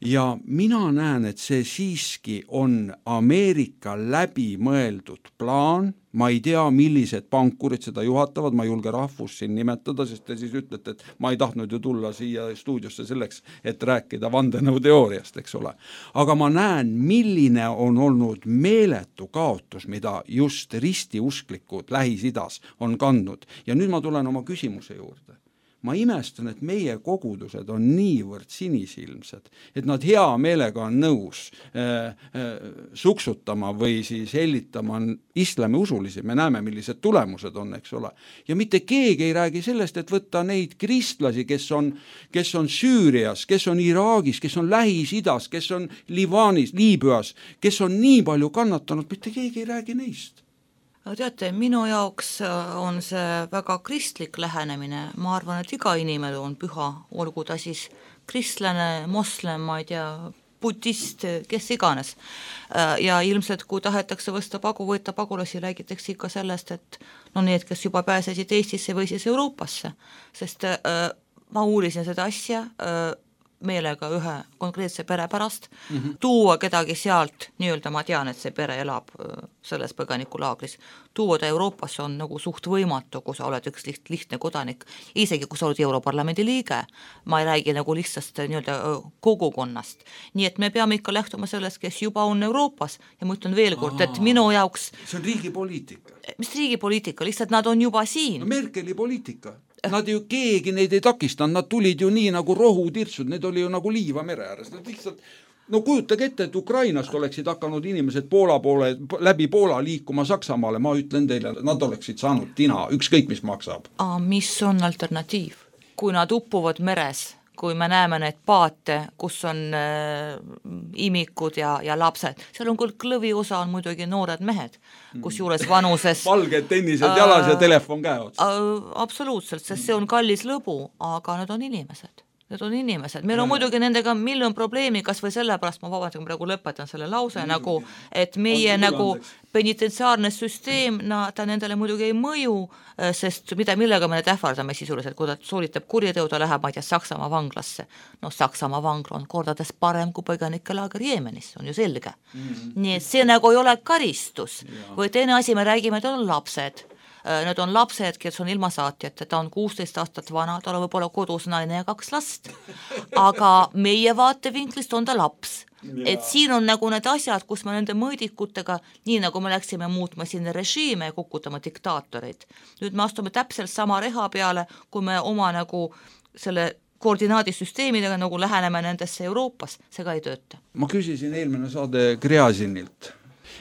Ja mina näen, et see siiski on Ameerika läbi mõeldud plaan. Ma ei tea, millised pankurid seda juhatavad, ma ei julge rahvust siin nimetada, sest te siis ütlete, et ma ei tahtnud ju tulla siia stuudiosse selleks, et rääkida vandenõuteooriast, eks ole. Aga ma näen, milline on olnud meeletu kaotus, mida just ristiusklikud Lähis-Idas on kandnud. Ja nüüd ma tulen oma küsimuse juurde. Ma imestan, et meie kogudused on niivõrd sinisilmsed, et nad hea meelega on nõus suksutama või siis hellitama islami usulisi. Me näeme, millised tulemused on, eks ole. Ja mitte keegi ei räägi sellest, et võtta neid kristlasi, kes on Süürias, kes on Iraagis, kes on Lähis-Idas, kes on Liibaanis, Liibüas, kes on nii palju kannatanud, mitte keegi ei räägi neist. Teate, minu jaoks on see väga kristlik lähenemine. Ma arvan, et iga inimene on püha, olgu ta siis kristlane, moslem, ma ei tea, budist, kes iganes. Ja ilmselt, kui tahetakse võtta pagulasi, räägitakse ikka sellest, et need, kes juba pääsesid Eestisse või siis Euroopasse. Sest ma uurisin seda asja meelega ühe konkreetse pere pärast, tuua kedagi sealt, nii-öelda ma tean, et see pere elab selles põgenikulaagris, tuua ta Euroopasse on nagu suht võimatu, kui sa oled üks lihtne kodanik, isegi kui sa oled Europarlamendi liige, ma ei räägi nagu lihtsast nii-öelda kogukonnast. Nii et me peame ikka lähtuma sellest, kes juba on Euroopas ja ma ütlen veel kord, et minu jaoks... See on riigi poliitika. Mis riigi poliitika? Lihtsalt nad on juba siin. No Merkeli poliitika. Nad ju keegi neid ei takistanud, nad tulid ju nii nagu rohutirtsud, need oli ju nagu liiva mere ääres. Nad lihtsalt, kujutage ette, et Ukrainast oleksid hakanud inimesed läbi Poola liikuma Saksamaale, ma ütlen teile, nad oleksid saanud tina, ükskõik mis maksab. Mis on alternatiiv? Kui nad uppuvad meres, kui me näeme need paate, kus on imikud ja lapsed, seal on küll klõviosa on muidugi noored mehed, kus juures vanuses valged tennised jalas ja telefon käe otsas. Absoluutselt, sest see on kallis lõbu, aga need on inimesed. Need on inimesed. Meil on muidugi nendega miljon probleemi, kas või sellepärast, ma vabandust, kui praegu lõpetan selle lause, et meie penitentsiaarne süsteem, ta nendele muidugi ei mõju, sest millega me need ähvardame sisuliselt, kui ta sooritab kuriteo, ta läheb, ma ei tea, Saksamaa vanglasse. Saksamaa vangla on kordades parem kui põgenikelaager Jeemenis, on ju selge. Nii et see nagu ei ole karistus. Või teine asi, me räägime, et on lapsed. Need on lapsed, kes on ilma saatjate, ta on 16 aastat vana, tal on võib-olla kodus naine ja 2 last, aga meie vaatevinklist on ta laps. Et siin on nagu need asjad, kus me nende mõõdikutega, nii nagu me läksime muutma sinna režiime ja kukutama diktaatoreid. Nüüd me astume täpselt sama reha peale, kui me oma nagu selle koordinaadisüsteemidega nagu läheneme nendesse Euroopas, see ka ei tööta. Ma küsisin eelmine saade Gräzinilt.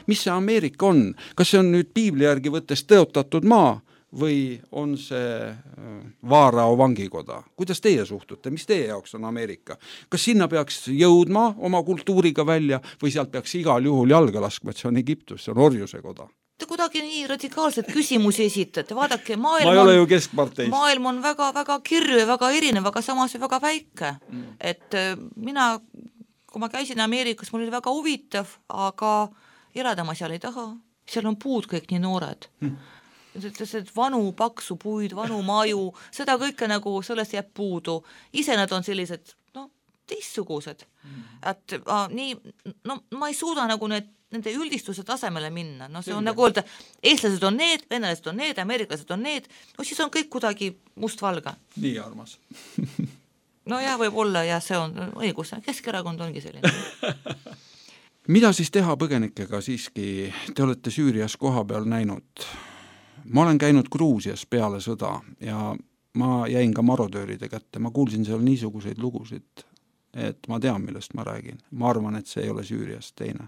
Mis see Ameerika on? Kas see on nüüd piibli järgi võttes tõotatud maa või on see Vaarao vangikoda? Kuidas teie suhtute? Mis teie jaoks on Ameerika? Kas sinna peaks jõudma oma kultuuriga välja või sealt peaks igal juhul jalga laskma, et see on Egiptus, see on orjuse koda? Te kuidagi nii radikaalselt küsimusi esitate, vaadake, ma ei ole ju keskparteist. Maailm on väga, väga kirju ja väga erinev, aga samas väga väike. Et mina kui ma käisin Ameerikas, mul oli väga huvitav, aga elada ma seal ei taha, seal on puud kõik nii noored. Vanu paksu puid, vanu maju, seda kõike nagu sellest jääb puudu. Ise nad on sellised, teistsugused. Et nii, ma ei suuda nagu nende üldistuse tasemele minna. See on nagu öelda, eestlased on need, venelased on need, ameeriklased on need, siis on kõik kuidagi mustvalge. Nii armas. No jah, võib olla ja see on õigus, Keskerakond ongi selline. Mida siis teha põgenikega siiski? Te olete Süürias koha peal näinud. Ma olen käinud Gruusias peale sõda ja ma jäin ka marodööride kätte. Ma kuulsin seal niisuguseid lugusid, et ma tean, millest ma räägin. Ma arvan, et see ei ole Süürias teine.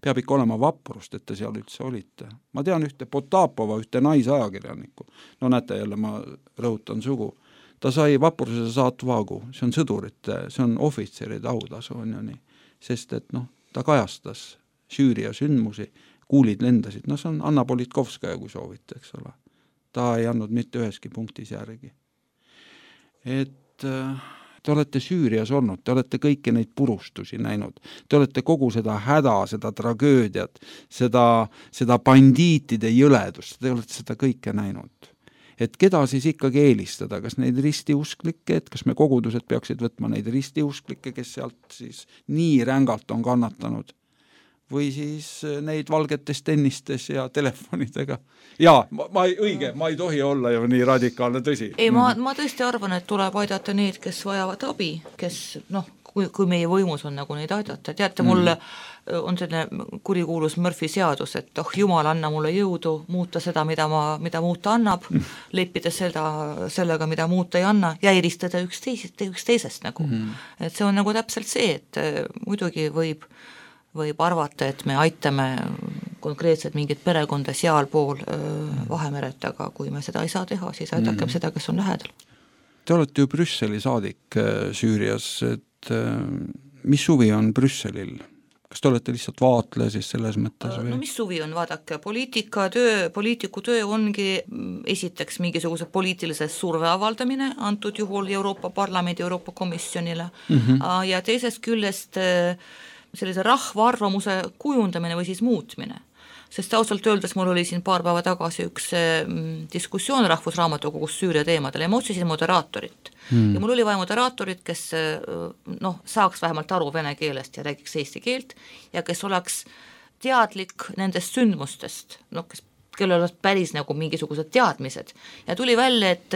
Peab ikka olema vaprust, et te seal üldse olite. Ma tean ühte Potapova, ühte naisajakirjanikku. No näete jälle, ma rõhutan sugu. Ta sai vapruse saatvaagu. See on sõdurite, see on ohvitseride autasu, on ju nii. Sest et ta kajastas Süüria sündmusi, kuulid lendasid. See on Anna Politkovskaja, kui soovite, eks ole. Ta ei andnud mitte üheski punktis järgi. Et te olete Süürias olnud, te olete kõiki neid purustusi näinud, te olete kogu seda häda, seda tragöödiat, seda bandiitide jõledust, te olete seda kõike näinud. Et keda siis ikkagi eelistada, kas neid ristiusklikke, et kas me kogudused peaksid võtma neid ristiusklikke, kes sealt siis nii rängalt on kannatanud, või siis neid valgetes tennistes ja telefonidega. Jaa, ma ei tohi olla ju nii radikaalne, tõsi. Ei, ma tõesti arvan, et tuleb aidata neid, kes vajavad abi, kes, kui meie võimus on nagu neid aidata. Teate, mul on selline kurikuulus Murphy seadus, et Jumal, anna mulle jõudu muuta seda, mida muuta annab, leppides sellega, mida muuta ei anna, ja eristada üks teisest nagu. Et see on nagu täpselt see, et muidugi võib arvata, et me aitame konkreetselt mingit perekonda seal pool Vahemeret, aga kui me seda ei saa teha, siis aidakem seda, kes on lähedal. Te olete ju Brüsseli saadik Süürias, et mis suvi on Brüsselil? Kas te olete lihtsalt vaatleja siis selles mõttes? No mis suvi on, vaadake, poliitiku töö ongi esiteks mingisuguse poliitilise surve avaldamine, antud juhul Euroopa Parlamendi, Euroopa Komisjonile, ja teisest küljest sellise rahva arvamuse kujundamine või siis muutmine. Sest ausalt öeldes mul oli siin paar päeva tagasi üks diskussioon Rahvusraamatukogus Süüria teemadel ja ma otsisin moderaatorit. Ja mul oli vaja moderaatorit, kes saaks vähemalt aru vene keelest ja räägiks eesti keelt ja kes oleks teadlik nendest sündmustest, kellel oleks päris nagu mingisugused teadmised. Ja tuli välja, et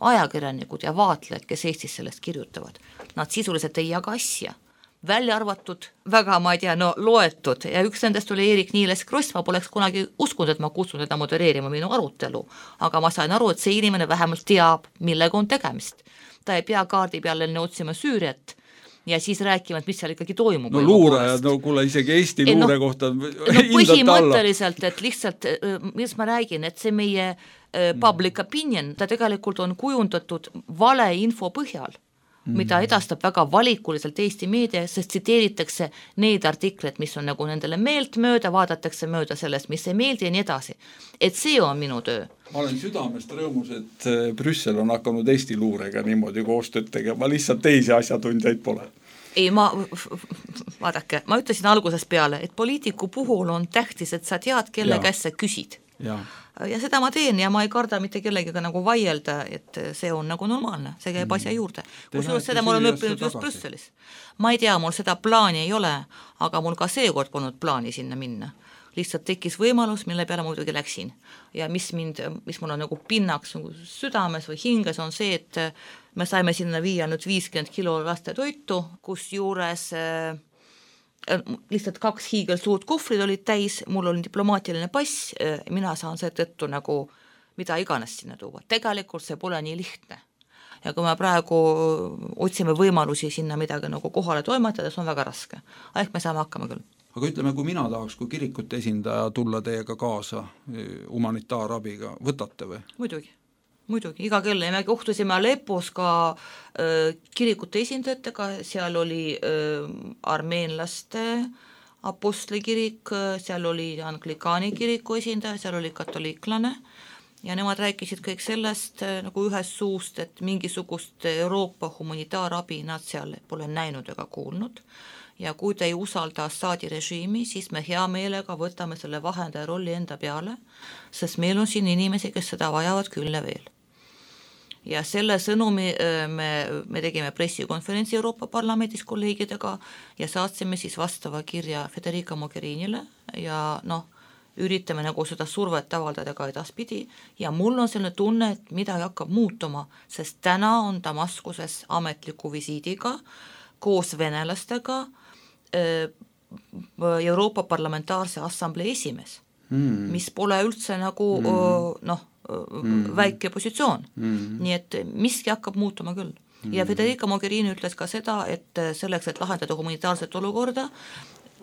ajakirjanikud ja vaatlejad, kes Eestis sellest kirjutavad, nad sisuliselt ei jaga asja. Välja arvatud, väga, ma ei tea, loetud ja üks nendest oli Erik Niiles Kross, ma poleks kunagi uskunud, et ma kutsun teda modereerima minu arutelu, aga ma sain aru, et see inimene vähemalt teab, millega on tegemist. Ta ei pea kaardi peale otsima Süüriat ja siis rääkima, et mis seal ikkagi toimub. Luurajad, kuule isegi Eesti luure kohta põhimõtteliselt, et lihtsalt, mis ma räägin, et see meie public opinion, ta tegelikult on kujundatud vale info põhjal, mida edastab väga valikuliselt Eesti meedia, sest tsiteeritakse neid artikleid, mis on nagu nendele meelt mööda, vaadatakse mööda sellest, mis ei meeldi ja nii edasi. Et see on minu töö. Ma olen südamest rõõmus, et Brüssel on hakanud Eesti luurega niimoodi koostööd tegema, lihtsalt teisi asjatundjaid pole. Ei, vaadake, ma ütlesin algusest peale, et poliitiku puhul on tähtis, et sa tead, kelle käest sa küsid. Ja seda ma teen ja ma ei karda mitte kellegiga nagu vaielda, et see on nagu normaalne, see käib asja juurde. Kusjuures seda ma olen õppinud just Brüsselis. Ma ei tea, mul seda plaani ei ole, aga mul ka seekord polnud plaani sinna minna. Lihtsalt tekkis võimalus, mille peale muidugi läksin. Ja mis mul on nagu pinnaks nagu südames või hinges on see, et me saime sinna viia nüüd 50 kilo laste toitu, kus juures lihtsalt 2 hiigelsuurt kohvrid olid täis, mul oli diplomaatiline pass, mina saan seetõttu nagu mida iganes sinna tuua. Tegelikult see pole nii lihtne. Ja kui me praegu otsime võimalusi sinna midagi nagu kohale toimetada, see on väga raske. Ehk me saame hakkama küll. Aga ütleme, kui mina tahaks, kui kirikute esindaja tulla teiega kaasa humanitaarabiga, võtate või? Muidugi, iga kell. Me kohtusime Aleppos ka kirikute esindajatega, seal oli armeenlaste apostlikirik, seal oli anglikaani kiriku esindaja, seal oli katoliiklane ja nemad rääkisid kõik sellest nagu ühest suust, et mingisugust Euroopa humanitaarabi nad seal pole näinud ega kuulnud ja kui te ei usalda Assadi režiimi, siis me hea meelega võtame selle vahendaja rolli enda peale, sest meil on siin inimesi, kes seda vajavad küll ja veel. Ja selle sõnumi me tegime pressikonferentsi Euroopa Parlamendis kolleegidega ja saatsime siis vastava kirja Federica Mogherinile ja üritame nagu seda survet avaldada ka edaspidi ja mul on selline tunne, et midagi hakkab muutuma, sest täna on Damaskuses ametliku visiidiga koos venelastega Euroopa Parlamentaarse Assamblee esimees, mis pole üldse nagu väike positsioon. Nii et miski hakkab muutuma küll. Ja Federica Mogherini ütles ka seda, et selleks, et lahendada humanitaarset olukorda,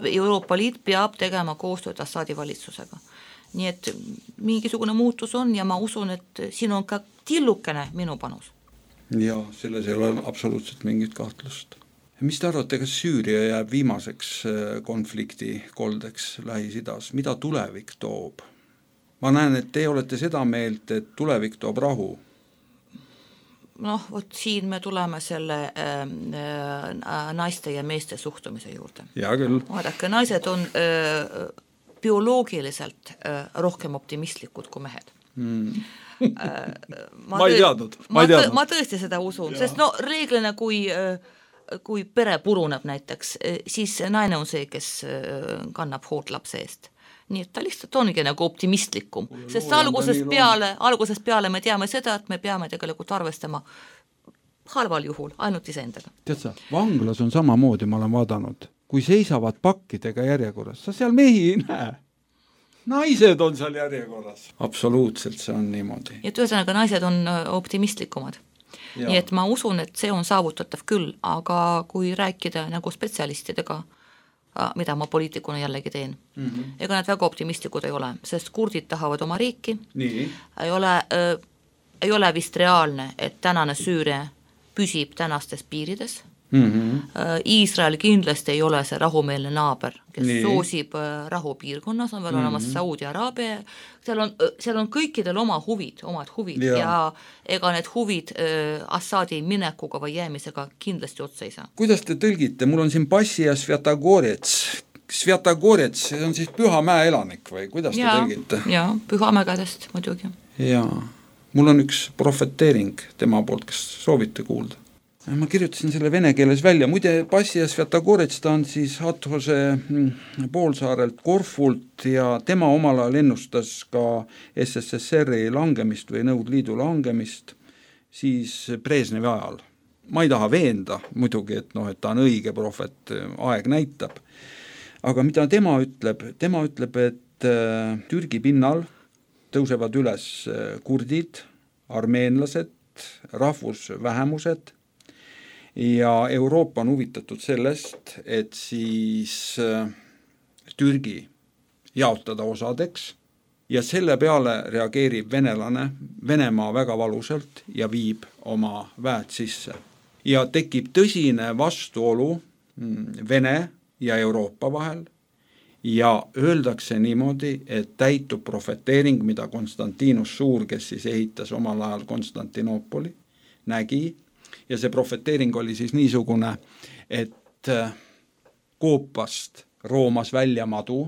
Euroopa Liit peab tegema koostööd Assadi valitsusega. Nii et mingisugune muutus on ja ma usun, et siin on ka tillukene minu panus. Ja selles ei ole absoluutselt mingit kahtlust. Mis te arvate, kas Süüria jääb viimaseks konflikti koldeks Lähis-Idas? Mida tulevik toob? Ma näen, et te olete seda meelt, et tulevik toob rahu. Vot siin me tuleme selle naiste ja meeste suhtumise juurde. Ja küll. Vaadake, naised on bioloogiliselt rohkem optimistlikud kui mehed. Ma ei teadnud. Ma tõesti seda usun, sest reeglina kui pere puruneb näiteks, siis naine on see, kes kannab hoolt lapse eest. Nii et ta lihtsalt ongi nagu optimistlikum, sest algusest peale me teame seda, et me peame tegelikult arvestama halval juhul ainult iseendaga. Tead sa, vanglas on samamoodi, ma olen vaadanud, kui seisavad pakkidega järjekorras, sa seal mehi ei näe. Naised on seal järjekorras. Absoluutselt see on niimoodi. Et ühesõnaga naised on optimistlikumad. Ja. Nii et ma usun, et see on saavutatav küll, aga kui rääkida nagu spetsialistidega, mida ma poliitikuna jällegi teen. Ega nad väga optimistlikud ei ole, sest kurdid tahavad oma riiki. Nii. Ei ole vist reaalne, et tänane Süüria püsib tänastes piirides. Iisrael kindlasti ei ole see rahumeelne naaber, kes soosib rahupiirkonnas, on veel olemas Saudi-Araabia, seal on kõikidel omad huvid ja ega need huvid Assadi minekuga või jäämisega kindlasti otsa ei saa. Kuidas te tõlgite? Mul on siin Passi ja Sviatogorets. Sviatogorets, see on siis Pühamäe elanik või kuidas te tõlgite? Jaa, Pühamäe kädest muidugi. Jaa, mul on üks profeteering tema poolt, kas soovite kuulda? Ma kirjutasin selle vene keeles välja. Muide, Passi ja Sviatogorets, ta on siis Hathose poolsaarelt Korfult ja tema omal ajal ennustas ka SSSR-i langemist või Nõukogude Liidu langemist siis Brežnevi ajal. Ma ei taha veenda muidugi, et ta on õige profet, aeg näitab. Aga mida tema ütleb? Tema ütleb, et Türgi pinnal tõusevad üles kurdid, armeenlased, rahvusvähemused, ja Euroopa on huvitatud sellest, et siis Türgi jaotada osadeks ja selle peale reageerib Venemaa väga valusalt ja viib oma väed sisse. Ja tekib tõsine vastuolu Vene ja Euroopa vahel ja öeldakse niimoodi, et täitub profeteering, mida Konstantinus Suur, kes siis ehitas omal ajal Konstantinoopoli, nägi. Ja see profeteering oli siis niisugune, et koopast roomas välja madu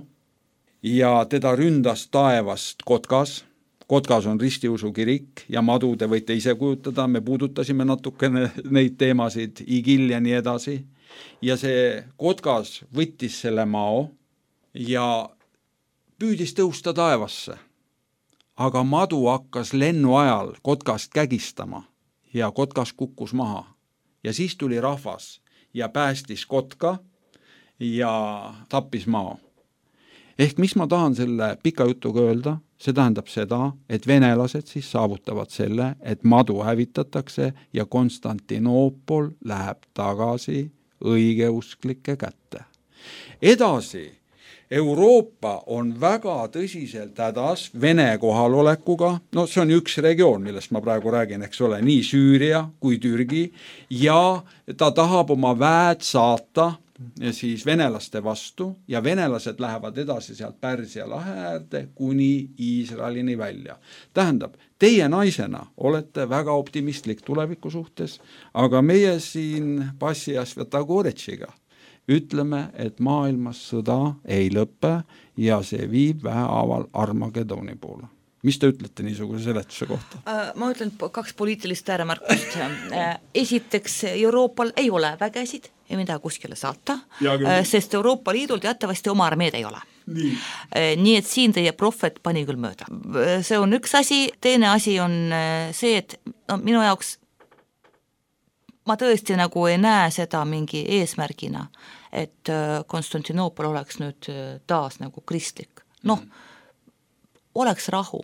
ja teda ründas taevast Kotkas. Kotkas on ristiusu kirik ja madu te võite ise kujutada, me puudutasime natukene neid teemasid, Igil ja nii edasi. Ja see Kotkas võttis selle mao ja püüdis tõusta taevasse. Aga madu hakkas lennu ajal Kotkast kägistama. Ja Kotkas kukkus maha. Ja siis tuli rahvas ja päästis Kotka ja tappis mao. Ehk mis ma tahan selle pika jutuga öelda? See tähendab seda, et venelased siis saavutavad selle, et madu hävitatakse ja Konstantinoopol läheb tagasi õigeusklike kätte. Edasi, Euroopa on väga tõsiselt hädas Vene kohalolekuga, see on üks regioon, millest ma praegu räägin, eks ole, nii Süüria kui Türgi, ja ta tahab oma väed saata ja siis venelaste vastu ja venelased lähevad edasi sealt Pärsia lahe äärde kuni Iisraelini välja. Tähendab, teie naisena olete väga optimistlik tuleviku suhtes, aga meie siin Passi ja Svjatogoretšiga ütleme, et maailmas sõda ei lõpe ja see viib vähehaaval Armageddoni poole. Mis te ütlete niisuguse seletuse kohta? Ma ütlen 2 poliitilist ääremärkust. Esiteks, Euroopal ei ole vägesid ja mida kuskile saata, sest Euroopa Liidul teatavasti oma armeed ei ole. Nii et siin teie prohvet pani küll mööda. See on üks asi, teine asi on see, et minu jaoks ma tõesti nagu ei näe seda mingi eesmärgina, et Konstantinoopol oleks nüüd taas nagu kristlik. Oleks rahu.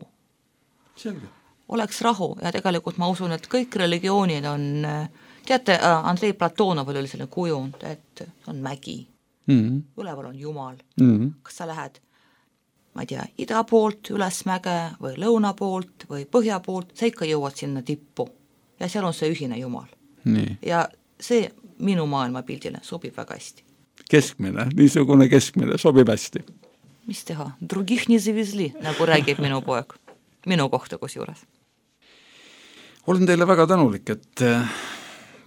Selge. Oleks rahu ja tegelikult ma usun, et kõik religioonid on, teate, Andrei Platonovil oli selline kujund, et on mägi, üleval on Jumal. Kas sa lähed, ma ei tea, ida poolt üles mäge või lõuna poolt või põhja poolt, sa ikka jõuad sinna tippu ja seal on see ühine Jumal. Nii. Ja see minu maailmapildile sobib väga hästi. Keskmine, niisugune keskmine sobib hästi. Mis teha? Drugih nii zavizli, nagu räägib minu poeg. Minu kohta kus juures. Olen teile väga tänulik, et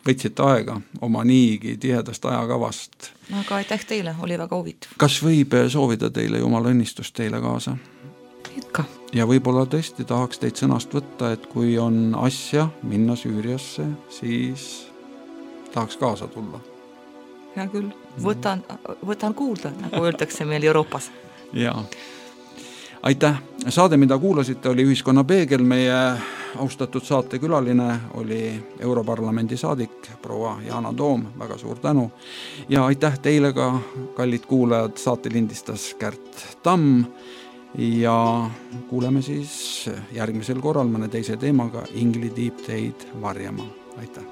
võtsite aega oma niigi tihedast ajakavast. Aga aitäh teile, oli väga huvitav. Kas võib soovida teile Jumala õnnistust teile kaasa? Ikka. Ja võib-olla tõesti tahaks teid sõnast võtta, et kui on asja minna Süüriasse, siis tahaks kaasa tulla. Ja küll, võtan kuulda, nagu öeldakse meil Euroopas. Jaa. Aitäh. Saade, mida kuulasite, oli Ühiskonna Peegel. Meie austatud saatekülaline oli Europarlamendi saadik proua Yana Toom, väga suur tänu. Ja aitäh teile ka, kallid kuulajad, saate lindistas Kärt Tamm ja kuuleme siis järgmisel korral mõne teise teemaga. Ingli tiib teid varjama. Aitäh.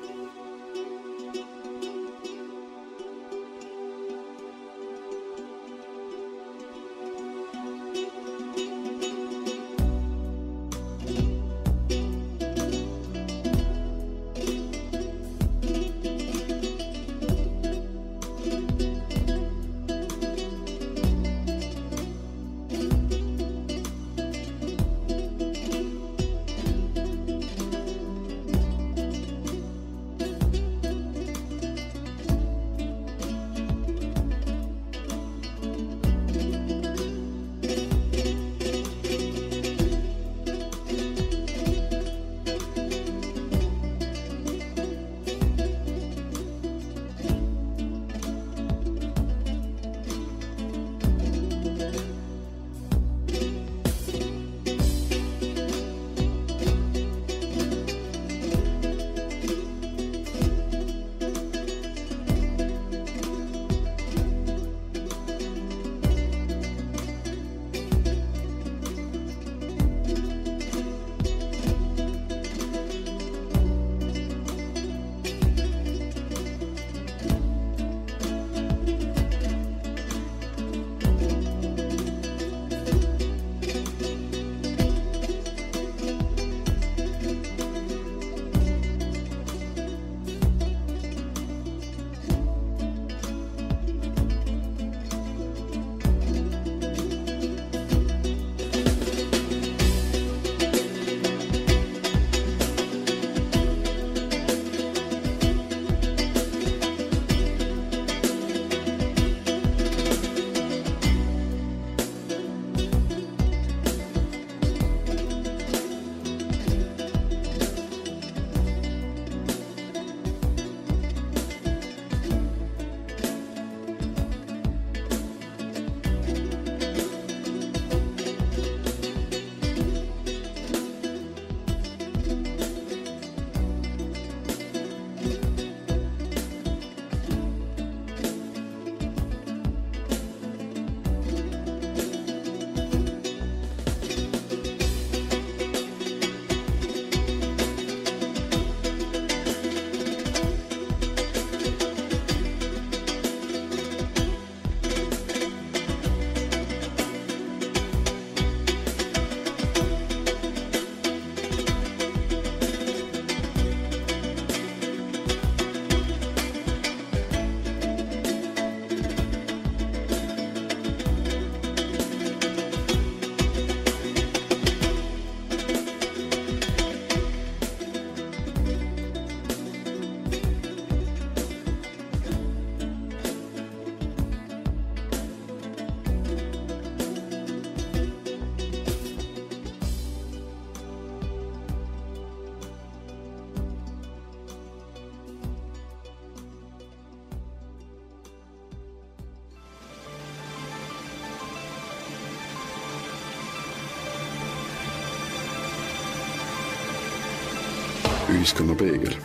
Ühiskonnapeegel.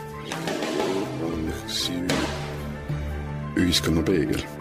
Ühiskonnapeegel.